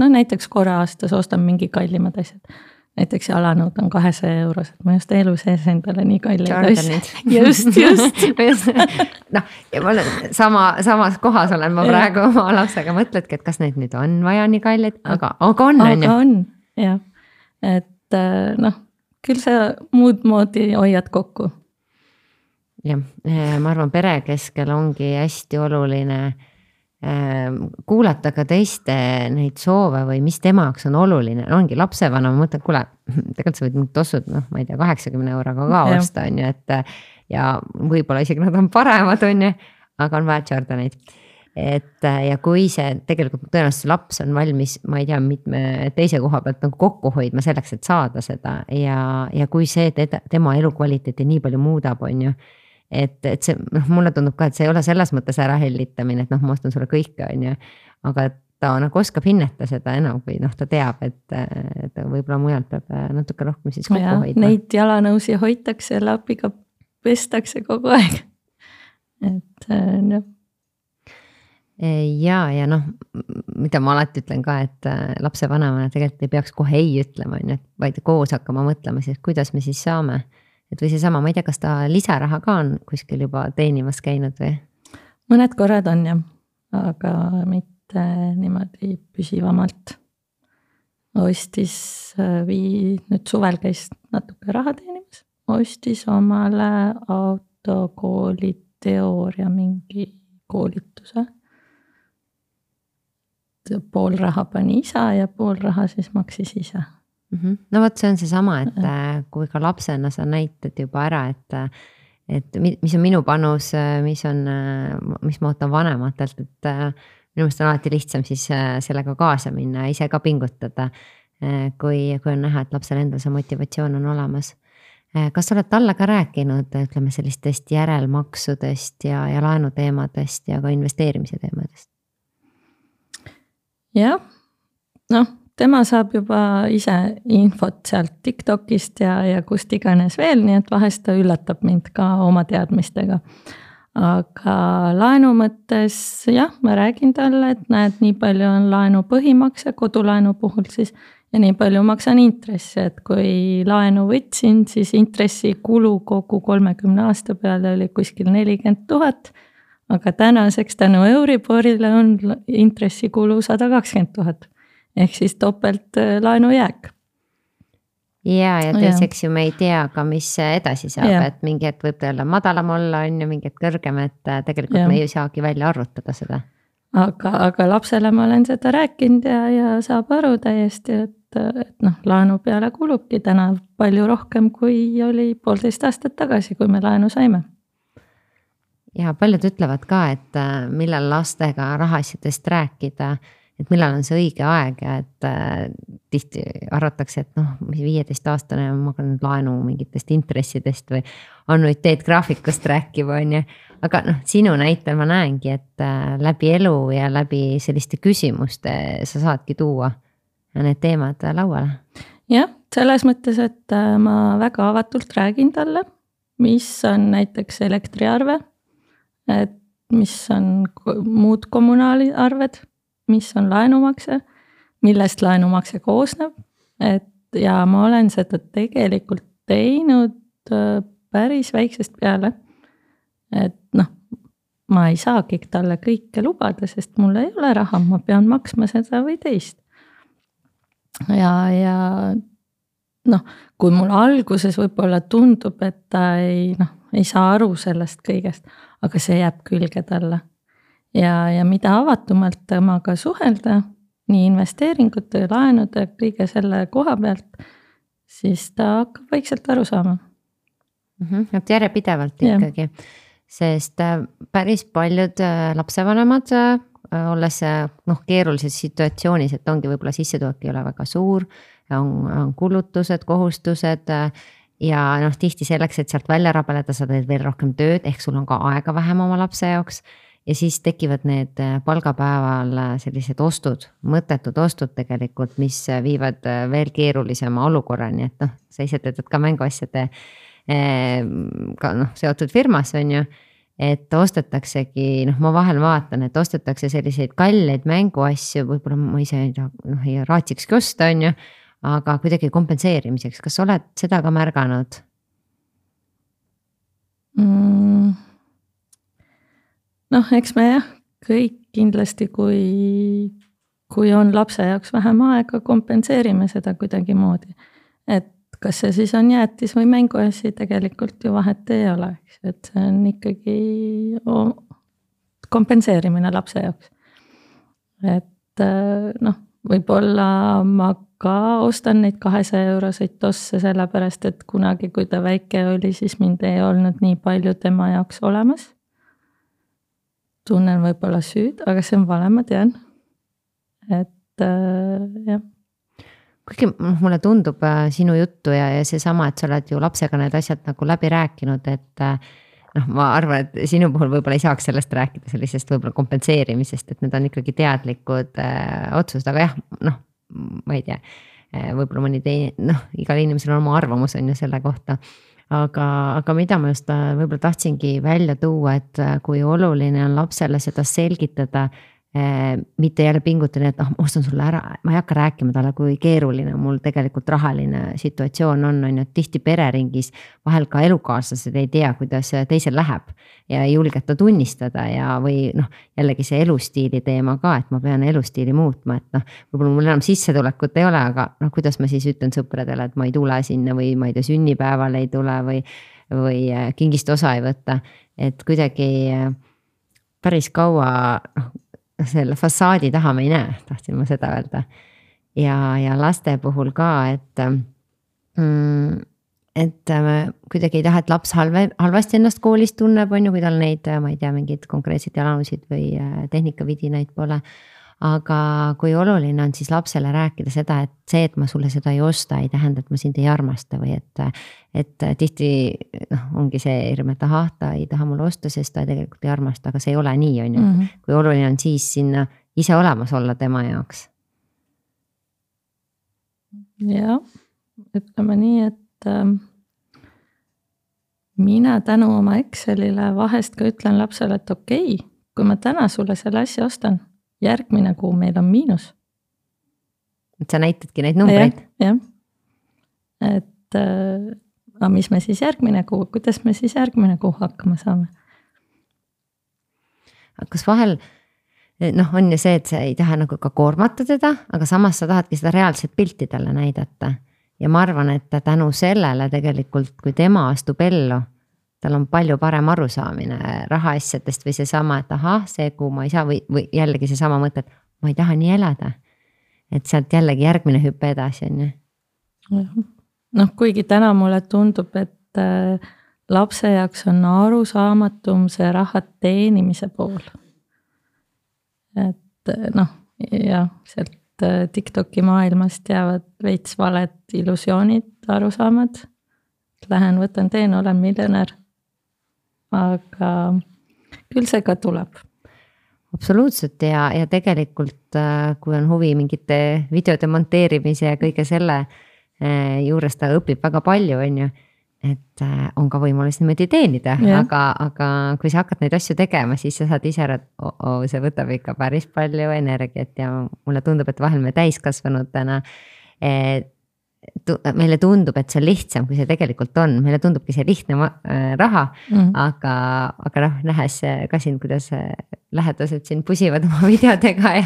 no näiteks korra aastas ostan mingi kallimad asjad. Näiteks jalanõud on kahesaja eurosed, ma just elu sees endale nii kalleid asjad. Just, just. noh, ja ma olen sama, samas kohas olen ma praegu oma lapsega mõtledki, et kas neid nüüd on vaja nii kalleid, aga, aga on. Aga on, jah. Et noh, küll sa muud moodi hoiad kokku. Jah, ma arvan, pere keskel ongi hästi oluline kuulata ka teiste neid soove või mis temaks on oluline. Ongi lapsevana, ma mõtlen, kuule, tegelikult sa võid mingid tossud, noh, ma ei tea, kaheksakümne euroga ka osta, on ju, et ja võib-olla isegi nad on paremad, on ju, aga on vaja Jordaneid. Et ja kui see tegelikult tõenäoliselt laps on valmis, ma ei tea, mitme teise koha pealt nagu kokku hoidma selleks, et saada seda ja, ja kui see teda, tema elukvaliteeti nii palju muudab, on ju, et, et see, noh, mulle tundub ka, et see ei ole selles mõttes ära hellitamine, et noh, ma ostan sulle kõike, on ju, aga ta nagu oskab hinnata seda enam, kui noh, ta teab, et, et võib-olla mujalt peab natuke rohkem siis kokku hoidma. Neid jalanõusi hoitakse, lapiga pestakse kogu aeg. Et noh. Ja, ja noh, mida ma alati ütlen ka, et lapse vanemana tegelikult ei peaks kohe ei ütlema, on ju, vaid koos hakkama mõtlema siis, kuidas me siis saame. Et või see sama, ma ei tea, kas ta lisaraha ka on kuskil juba teenimas käinud või? Mõned korrad on jah, aga mitte niimoodi püsivamalt. Ostis vii, nüüd suvel käis natuke raha teenimas, ostis omale autokooli teooria mingi koolituse. Pool raha pani isa ja pool raha siis maksis ise. No võt, see on see sama, et kui ka lapsena sa näitad juba ära, et, et mis on minu panus, mis on, mis ma ootan vanematelt, et minu meelest on alati lihtsam siis sellega kaasa minna ja ise ka pingutada, kui, kui on näha, et lapsel endal see motivatsioon on olemas. Kas sa oled talle ka rääkinud, ütleme sellistest järelmaksudest ja, ja laenuteemadest ja ka investeerimise teemadest? Jah, noh. Tema saab juba ise infot sealt TikTokist ja, ja kust iganes veel, nii et vahest ta üllatab mind ka oma teadmistega. Aga laenu mõttes, jah, ma räägin talle, et näed, nii palju on laenu põhimakse, kodulaenu puhul siis, ja nii palju maksan intressi, et kui laenu võtsin, siis intressi kulu kogu kolmekümne aasta peale oli kuskil nelikümmend tuhat, aga tänaseks tänu Euriborile on intressi kulu sada kakskümmend tuhat. Ehk siis topelt laenu jääk. Ja, ja teiseks ju me ei tea ka, mis edasi saab, ja. Et mingi hetk võib tõella madalam olla, on ju mingi hetk kõrgem, et tegelikult ja. Me ei saagi välja arvutada seda. Aga, aga lapsele ma olen seda rääkinud ja, ja saab aru täiesti, et, et noh, laenu peale kulubki täna palju rohkem, kui oli poolteist aastat tagasi, kui me laenu saime. Ja paljud ütlevad ka, et millal lastega rahaasjadest rääkida, et millal on see õige aeg ja et äh, tihti arvatakse, et noh, viieteist aastane ma hakkan laenu mingitest intressidest või annuiteetgraafikust rääkima, on ju. Aga noh, sinu näitel ma näengi, et äh, läbi elu ja läbi selliste küsimuste sa saadki tuua need teemad lauale. Jah, selles mõttes, et ma väga avatult räägin talle, mis on näiteks elektriarve, et mis on muud kommunaaliarved, mis on laenumakse, millest laenumakse koosneb, et ja ma olen seda tegelikult teinud päris väiksest peale, et noh, ma ei saagi talle kõike lubada, sest mul ei ole raha, ma pean maksma seda või teist. Ja, ja noh, kui mul alguses võib-olla tundub, et ta ei, noh, ei saa aru sellest kõigest, aga see jääb külge talle. Ja, ja mida avatumalt temaga suhelda, nii investeeringute, laenude, kõige selle koha pealt, siis ta hakkab vaikselt aru saama. Mm-hmm, et järjepidevalt ikkagi, sest päris paljud lapsevanemad olles noh, keerulises situatsioonis, et ongi võib-olla sissetulek ei ole väga suur, on, on kulutused, kohustused ja noh, tihti selleks, et sealt välja rabeleda, sa teed veel rohkem tööd, ehk sul on ka aega vähem oma lapse jaoks. Ja siis tekivad need palgapäeval sellised ostud, mõttetud ostud tegelikult, mis viivad veel keerulisema olukorrani, et noh, sa ise töötad ka mänguasjade ka noh, seotud firmas on ju, et ostetaksegi, noh ma vahel vaatan, et ostetakse selliseid kalleid mänguasju, võib-olla ma ise ei, noh, ei raatsikski osta on ju, aga kuidagi kompenseerimiseks, kas oled seda ka märganud? Mm. Noh, eks me jah, kõik kindlasti, kui, kui on lapse jaoks vähem aega, kompenseerime seda kuidagi moodi. Et kas see siis on jäätis või mänguasi, tegelikult ju vahet ei ole, eks, et see on ikkagi kompenseerimine lapse jaoks. Et noh, võib-olla ma ka ostan neid kahesaja euroseid tosse sellepärast, et kunagi, kui ta väike oli, siis mind ei olnud nii palju tema jaoks olemas. Tunnen võib-olla süüd, aga see on vale, ma tean. Et äh, jah. Kuigi mulle tundub sinu juttu ja, ja see sama, et sa oled ju lapsega need asjad nagu läbi rääkinud, et noh, ma arvan, et sinu puhul võib-olla ei saaks sellest rääkida, sellisest võib-olla kompenseerimisest, et need on ikkagi teadlikud äh, otsused, aga jah, noh, ma ei tea, võib-olla mõni teine, noh, igal inimesel on oma arvamus on ju selle kohta. Aga, aga mida ma just võib-olla tahtsingi välja tuua, et kui oluline on lapsele seda selgitada, eh, mitte jälle pingutada, et oh, ma ostan sulle ära, ma ei hakka rääkima talle, kui keeruline mul tegelikult rahaline situatsioon on, on ju, tihti pereringis, vahel ka elukaaslased ei tea, kuidas teisel läheb ja ei julgeta tunnistada ja või noh, jällegi see elustiili teema ka, et ma pean elustiili muutma, et noh, võib-olla mul enam sissetulekut ei ole, aga noh, kuidas ma siis ütlen sõpradele, et ma ei tule sinna või ma ei tea, sünnipäeval ei tule või, või kingist osa ei võtta, et kuidagi päris kaua noh, selle fassaadi taha me ei näe, tahtsin ma seda öelda. Ja, ja laste puhul ka, et mm, et kuidagi ei taha, et laps halve, halvasti ennast koolis tunneb, on ju, kui tal neid, ma ei tea, mingid konkreetseid jalanusid või tehnikavidinaid pole. Aga kui oluline on siis lapsele rääkida seda, et see, et ma sulle seda ei osta, ei tähenda, et ma sind ei armasta või et, et tihti noh, ongi see hirm, et aha, ta ei taha mulle osta, sest ta tegelikult ei armasta, aga see ei ole nii, on ju. Mm-hmm. Kui oluline on siis sinna ise olemas olla tema jaoks. Ja, ütleme nii, et mina tänu oma Excelile vahest ka ütlen lapsele, et okei, kui ma täna sulle selle asja ostan, järgmine kuu meil on miinus. Et sa näitadki neid numbreid? Jah, jah. Et aga mis me siis järgmine kuu, kuidas me siis järgmine kuu hakkama saame? Kas vahel noh, on ju see, et sa ei taha nagu ka koormata teda, aga samas sa tahadki seda reaalset pilti talle näidata. Ja ma arvan, et tänu sellele tegelikult, kui tema astub ellu, tal on palju parem arusaamine rahaasjadest või see sama, et aha, see kuu ma ei saa või, või jällegi see sama mõte, et ma ei taha nii elada. Et sealt jällegi järgmine hüppe edasi on ju. Noh, kuigi täna mulle tundub, et lapse jaoks on arusaamatum see raha teenimise pool. Et noh, jah, sealt TikToki maailmast jäävad veits valed illusioonid, arusaamad. Lähen, võtan teen, olen miljonär. Aga küll see ka tuleb. Absoluutselt ja, ja tegelikult kui on huvi mingite videode monteerimise ja kõige selle juures ta õpib väga palju, on ju, et on ka võimalus niimoodi teenida, aga, aga kui sa hakkad neid asju tegema, siis sa saad ise ära, oh, oh, see võtab ikka päris palju energiat ja mulle tundub, et vahel me täiskasvanutena et meile tundub, et see on lihtsam, kui see tegelikult on. Meile tundubki see lihtne raha, mm. aga, aga noh, nähes ka siin, kuidas lähedased siin pusivad oma videodega ja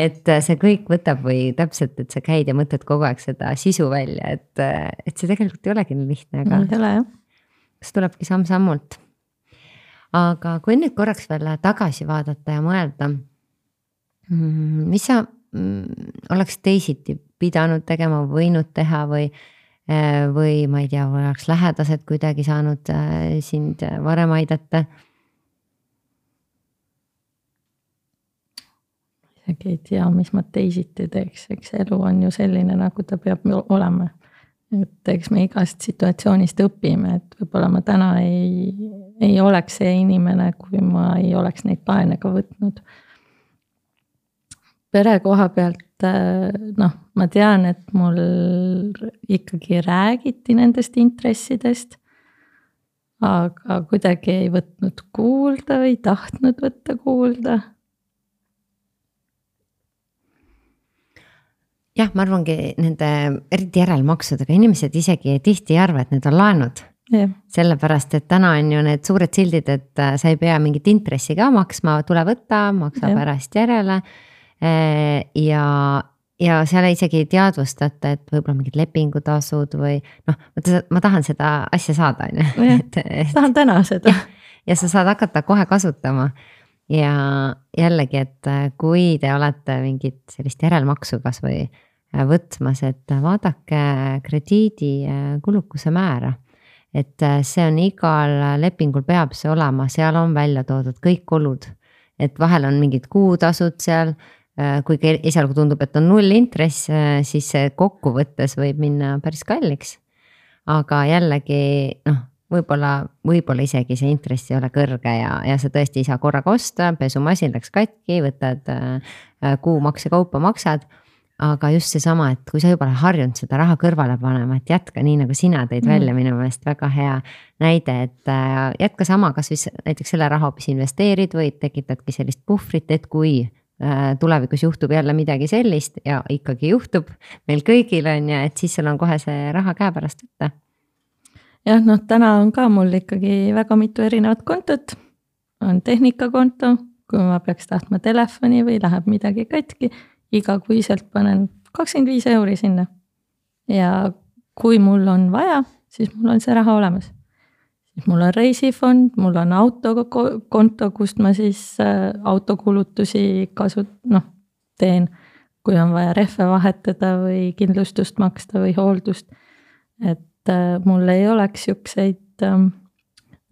et see kõik võtab või täpselt, et sa käid ja mõtled kogu aeg seda sisu välja, et, et see tegelikult ei olegi nii lihtne, aga ei ole, jah. See tulebki samm-sammult. Aga kui nüüd korraks veel tagasi vaadata ja mõelda, mis sa oleks teisiti pidanud tegema, võinud teha või, või ma ei tea, oleks lähedased kuidagi saanud sind varem aidata? isegi ei tea, mis ma teisiti teeks, eks elu on ju selline, nagu ta peab olema. Et eks me igast situatsioonist õpime, et võib-olla ma täna ei, ei oleks see inimene, kui ma ei oleks neid laene ka võtnud. Pere koha pealt, noh, ma tean, et mul ikkagi räägiti nendest intressidest, aga kuidagi ei võtnud kuulda või tahtnud võtta kuulda. Jah, ma arvangi nende eriti järelmaksudega inimesed isegi tihti ei arva, et need on laenud. Yeah. Sellepärast, et täna on ju need suured sildid, et sa ei pea mingit intressi ka maksma, tule võtta, maksa yeah. pärast järele. Ja, ja seal isegi ei teadvustata, et võib-olla mingid lepingutasud või noh, ma tahan seda asja saada. Yeah. Et, et, tahan täna seda. Ja, ja sa saad hakata kohe kasutama. Ja jällegi, et kui te olete mingit sellist järelmaksu kas või võtmas, et vaadake krediidi kulukuse määra. Et see on igal lepingul peab see olema, seal on välja toodud kõik kulud. Et vahel on mingid kuutasud seal, kuigi esialgu tundub, et on null intress, siis see kokkuvõttes võib minna päris kalliks. Aga jällegi, noh, võib-olla, võib-olla isegi see intress ei ole kõrge ja, ja sa tõesti ei saa korraga osta, pesumasin läks katki, võtad kuu makse kaupa maksad, aga just see sama, et kui sa juba harjunud seda raha kõrvale panema, et jätka nii nagu sina tõid mm. välja minu meelest väga hea näide, et jätka sama, kas või näiteks selle raha hoopis investeerid või tekitadki sellist puhvrit, et kui tulevikus juhtub jälle midagi sellist ja ikkagi juhtub meil kõigil on ja et siis sul on kohe see raha käe pärast võtta. Jah, noh, täna on ka mul ikkagi väga mitu erinevat kontot, on tehnikakonto, kui ma peaks tahtma telefoni või läheb midagi katki, iga kuiselt panen kakskümmend viis euri sinna. Ja kui mul on vaja, siis mul on see raha olemas. Siis mul on reisifond, mul on autokonto, kust ma siis autokulutusi kasut, noh, teen, kui on vaja rehve vahetada või kindlustust maksta või hooldust, et mul ei oleks siukseid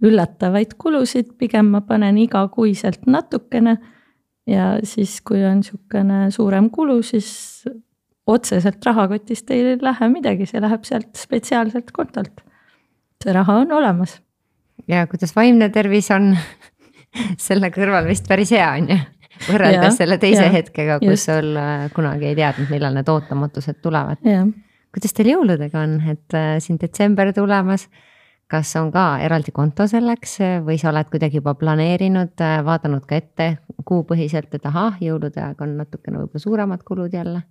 üllatavaid kulusid, pigem ma panen iga kuiselt natukene ja siis, kui on siukene suurem kulu, siis otseselt rahakotist ei lähe midagi, see läheb sealt spetsiaalselt kontolt. See raha on olemas. Ja kuidas vaimne tervis on selle kõrval vist päris hea on ju, võrreldes ja, selle teise ja, hetkega, kus just. Sul kunagi ei teadnud, millal need ootamatused tulevad. Ja. Kuidas teil jõuludega on, et siin detsember tulemas, kas on ka eraldi konto selleks või sa oled kuidagi juba planeerinud, vaadanud ka ette kuupõhiselt, et aha, jõulude aeg on natukene võib-olla suuremad kulud jälle?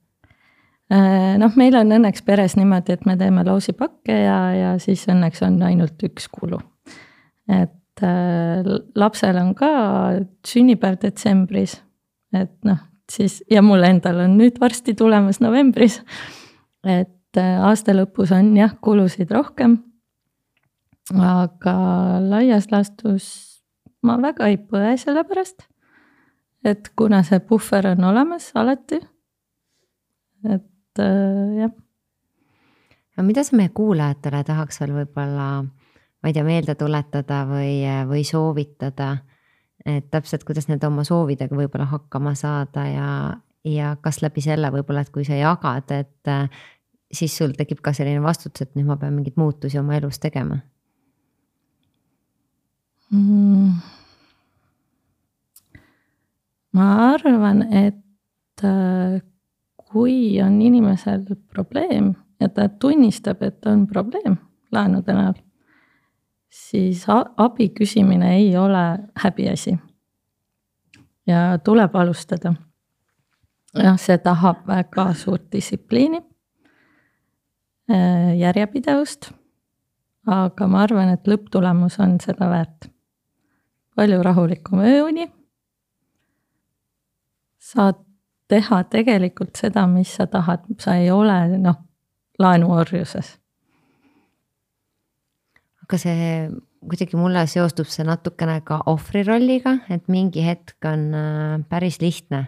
Noh, meil on õnneks peres niimoodi, et me teeme lausipakke ja, ja siis õnneks on ainult üks kulu. Et lapsel on ka sünnipäev detsembris, et noh, siis ja mul endal on nüüd varsti tulemas novembris, et aasta lõpus on jah, kulusid rohkem, aga laias laastus ma väga ei põe selle pärast, et kuna see puhver on olemas alati, et jah. Ja mida sa meie kuulajatele tahaks veel võib-olla, ma ei tea, meelde tuletada või, või soovitada, et täpselt kuidas need oma soovidega võib-olla hakkama saada ja, ja kas läbi selle võib-olla, et kui sa jagad, et siis sul tekib ka selline vastutus, et nüüd ma pean mingit muutusi oma elus tegema? Mm. Ma arvan, et kui on inimesel probleem ja ta tunnistab, et on probleem laenude näol, siis abi küsimine ei ole häbiasi. Ja tuleb alustada. Ja see tahab väga suurt distsipliini, järjepidevust, aga ma arvan, et lõpptulemus on seda väärt. Palju rahulikum ööuni, saad teha tegelikult seda, mis sa tahad, sa ei ole noh, laenuorjuses. Aga see kuidagi mulle seostub see natukene ka ohvri rolliga, et mingi hetk on päris lihtne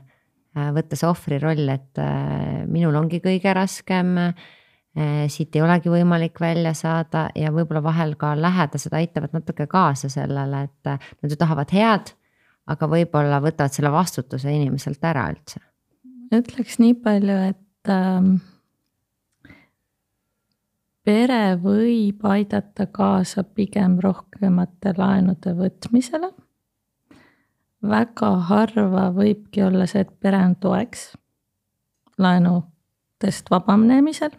võtta see ohvri roll, et minul ongi kõige raskem, siit ei olegi võimalik välja saada ja võib-olla vahel ka lähedased aitavad natuke kaasa sellele, et nad ju tahavad head, aga võib-olla võtavad selle vastutuse inimeselt ära üldse. ütleks nii palju, et ähm, pere võib aidata kaasa pigem rohkemate laenude võtmisele. Väga harva võibki olla see, et pere on toeks laenudest vabamnemisel.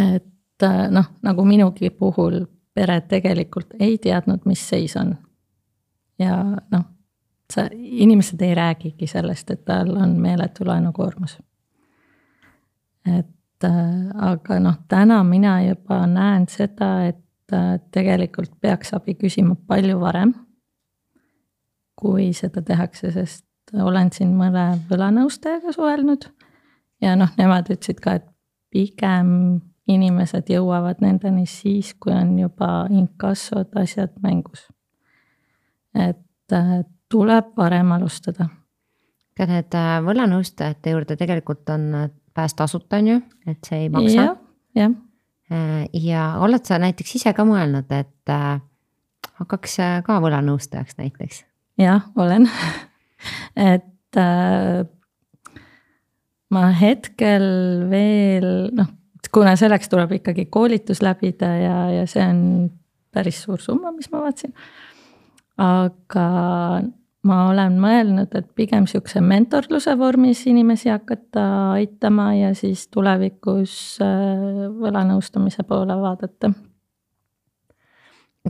Et noh, nagu minugi puhul pere tegelikult ei teadnud, mis seis on. Ja noh, sa, inimesed ei räägigi sellest, et tal on meeletu laenukoormus. Et aga noh, täna mina juba näen seda, et tegelikult peaks abi küsima palju varem, kui seda tehakse, sest olen siin mõne võlanõustajaga suhelnud ja noh, nemad ütlesid ka, et pigem inimesed jõuavad nendeni siis, kui on juba inkassod asjad mängus. Et tuleb varem alustada. Ka need võlanõustajate juurde tegelikult on pääs tasuta on ju, et see ei maksa. Ja, ja. ja oled sa näiteks ise ka mõelnud, et hakkaks ka võlanõustajaks näiteks? Jah, olen. et äh, ma hetkel veel, noh, kuna selleks tuleb ikkagi koolitus läbida ja, ja see on päris suur summa, mis ma vaatsin. Aga ma olen mõelnud, et pigem siukse mentorluse vormis inimesi hakata aitama ja siis tulevikus võlanõustamise poole vaadata.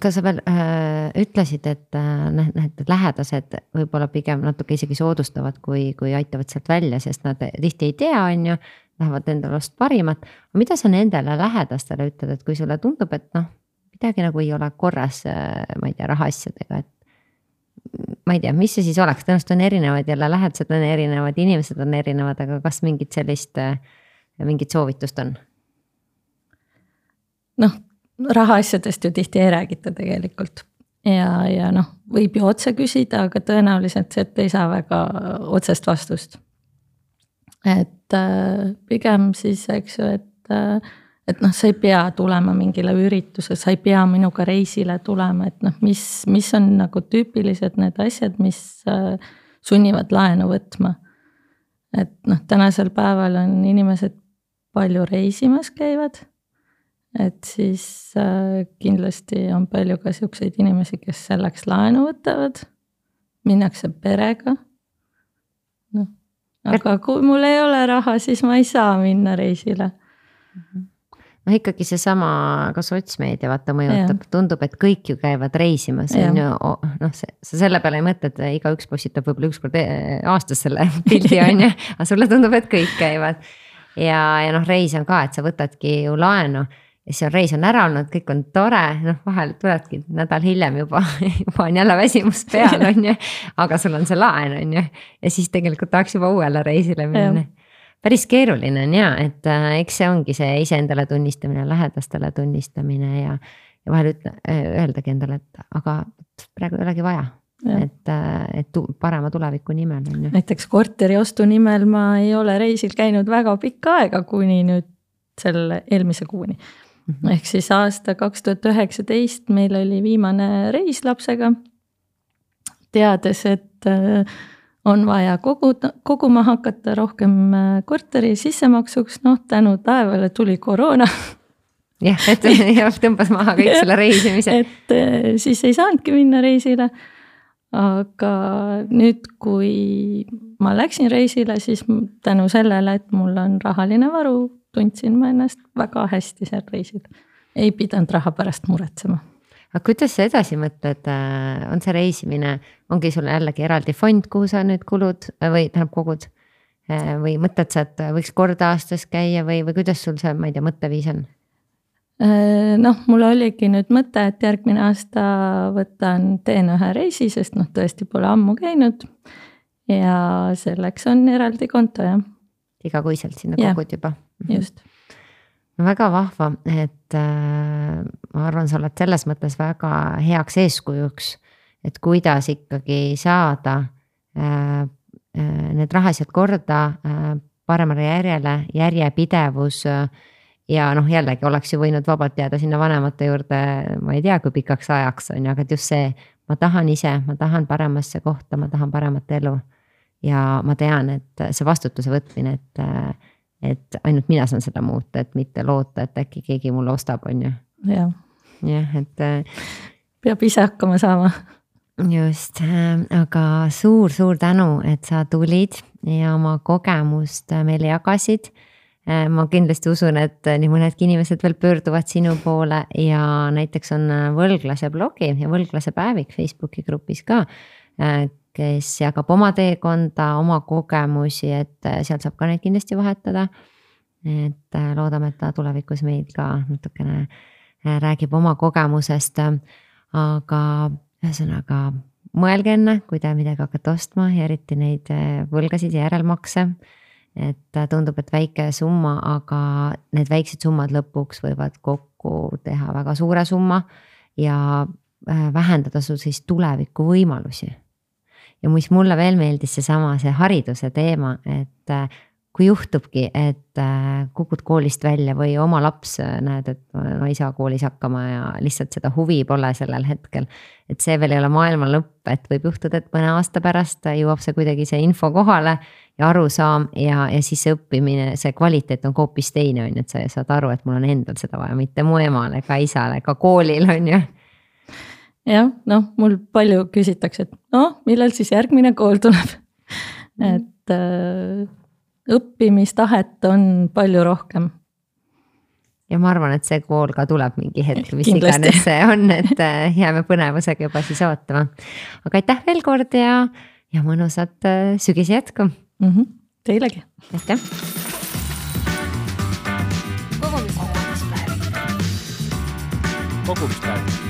Kas sa veel äh, ütlesid, et äh, need lähedased võib-olla pigem natuke isegi soodustavad, kui, kui aitavad sealt välja, sest nad tihti ei tea, on ju, lähevad endale vast parimat. Mida sa nendele lähedastele ütled, et kui sulle tundub, et noh, midagi nagu ei ole korras, ma ei tea, rahaasjadega, et ma ei tea, mis see siis oleks, tõenäoliselt on erinevad, jälle lähedased on erinevad, inimesed on erinevad, aga kas mingit sellist, mingit soovitust on? Noh, rahaasjadest ju tihti ei räägita tegelikult ja, ja noh, võib ju otse küsida, aga tõenäoliselt see, et ei saa väga otsest vastust. Et äh, pigem siis, eks ju, et äh, et noh, sa ei pea tulema mingile ürituse, sa ei pea minuga reisile tulema, et noh, mis, mis on nagu tüüpilised need asjad, mis äh, sunnivad laenu võtma. Et noh, tänasel päeval on inimesed palju reisimas käivad, et siis äh, kindlasti on palju ka siukseid inimesi, kes selleks laenu võtavad, minnakse perega. No, aga kui mul ei ole raha, siis ma ei saa minna reisile. Mhm. No ikkagi see sama, ka sotsmeedia vaata mõjutab, tundub, et kõik ju käivad reisimas, on ju, noh, sa selle peale ei mõtle, et iga üks postitab võib-olla üks kord aastas selle pildi, on ju, aga sulle tundub, et kõik käivad. Ja, ja noh, reis on ka, et sa võtadki ju laenu ja siis on reis on ära olnud, kõik on tore, noh, vahel tuledki nädal hiljem juba, juba on jälle väsimus peal, on ju, aga sul on see laen, on ju, ja siis tegelikult tahaks juba uuele reisile minna. Päris keeruline on ja, et äh, eks see ongi see iseendale tunnistamine, lähedastele tunnistamine ja, ja vahel ütle, öeldagi endale, et aga praegu ei olegi vaja, ja. et, äh, et tu, parema tuleviku nimel. On ju. Näiteks korteri ostu nimel ma ei ole reisil käinud väga pikka aega, kuni nüüd selle eelmise kuuni. Mm-hmm. Ehk siis aasta kaks tuhat üheksateist meil oli viimane reis lapsega, teades, et äh, on vaja kogu, koguma hakata rohkem korteri sissemaksuks, noh tänu taevale tuli koroona. Jah, et tõmbas maha kõik selle reisimise. Et siis ei saanudki minna reisile, aga nüüd, kui ma läksin reisile, siis tänu sellele, et mul on rahaline varu, tundsin ma ennast väga hästi seal reisil. Ei pidanud raha pärast muretsema. Aga kuidas sa edasi mõtled, on see reisimine, ongi sul jällegi eraldi fond, kuhu sa nüüd kulud või tähendab kogud või mõtled sa, et võiks korda aastas käia või, või kuidas sul see, ma ei tea, mõtteviis on? Noh, mul oligi nüüd mõte, et järgmine aasta võtan, teen ühe reisi, sest noh, tõesti pole ammu käinud ja selleks on eraldi konto, jah. Igakuiselt sinna kogud juba. Just. Väga vahva, et äh, ma arvan, sa oled selles mõttes väga heaks eeskujuks, et kuidas ikkagi saada äh, äh, need rahasjad korda äh, paremale järjele, järjepidevus äh, ja noh, jällegi oleks ju võinud vabalt jääda sinna vanemate juurde, ma ei tea, kui pikaks ajaks on, aga just see, ma tahan ise, ma tahan paremasse kohta, ma tahan paremat elu ja ma tean, et see vastutuse võtmine, et, et ainult mina saan seda muuta, et mitte loota, et äkki keegi mulle ostab, on ju. jah, jah, et peab ise hakkama saama. Just, aga suur-suur tänu, et sa tulid ja oma kogemust meile jagasid. Ma kindlasti usun, et nii mõnedki inimesed veel pöörduvad sinu poole ja näiteks on Võlglase blogi ja Võlglase päevik Facebooki grupis ka, kes jagab oma teekonda, oma kogemusi, et seal saab ka neid kindlasti vahetada. Et loodame, et ta tulevikus meil ka natukene räägib oma kogemusest, aga ühesõnaga mõelge enne, kui te midagi hakkate ostma ja eriti neid võlgasid ja järelmakse. Et tundub, et väike summa, aga need väiksed summad lõpuks võivad kokku teha väga suure summa ja vähendada sul siis tuleviku võimalusi. Ja mis mulle veel meeldis see sama, see hariduse teema, et kui juhtubki, et kukud koolist välja või oma laps näed, et no ei saa koolis hakkama ja lihtsalt seda huvi pole sellel hetkel. Et see veel ei ole maailma lõpp, et võib juhtuda, et mõne aasta pärast jõuab see kuidagi see info kohale ja arusaam ja, ja siis see õppimine, see kvaliteet on hoopis teine, on, et sa saad aru, et mul on endal seda vaja, mitte mu emale, ka isale, ka koolil on ju. jah, noh, mul palju küsitakse, et noh, millal siis järgmine kool tuleb, et äh, õppimistahet on palju rohkem. Ja ma arvan, et see kool ka tuleb mingi hetk, mis iganes see on, et jääme põnevusega juba siis ootama. Aga aitäh veel kord ja, ja mõnusat sügise jätku. Mm-hmm. Teilegi. Aitäh. Kogumispäev. Kogumispäev.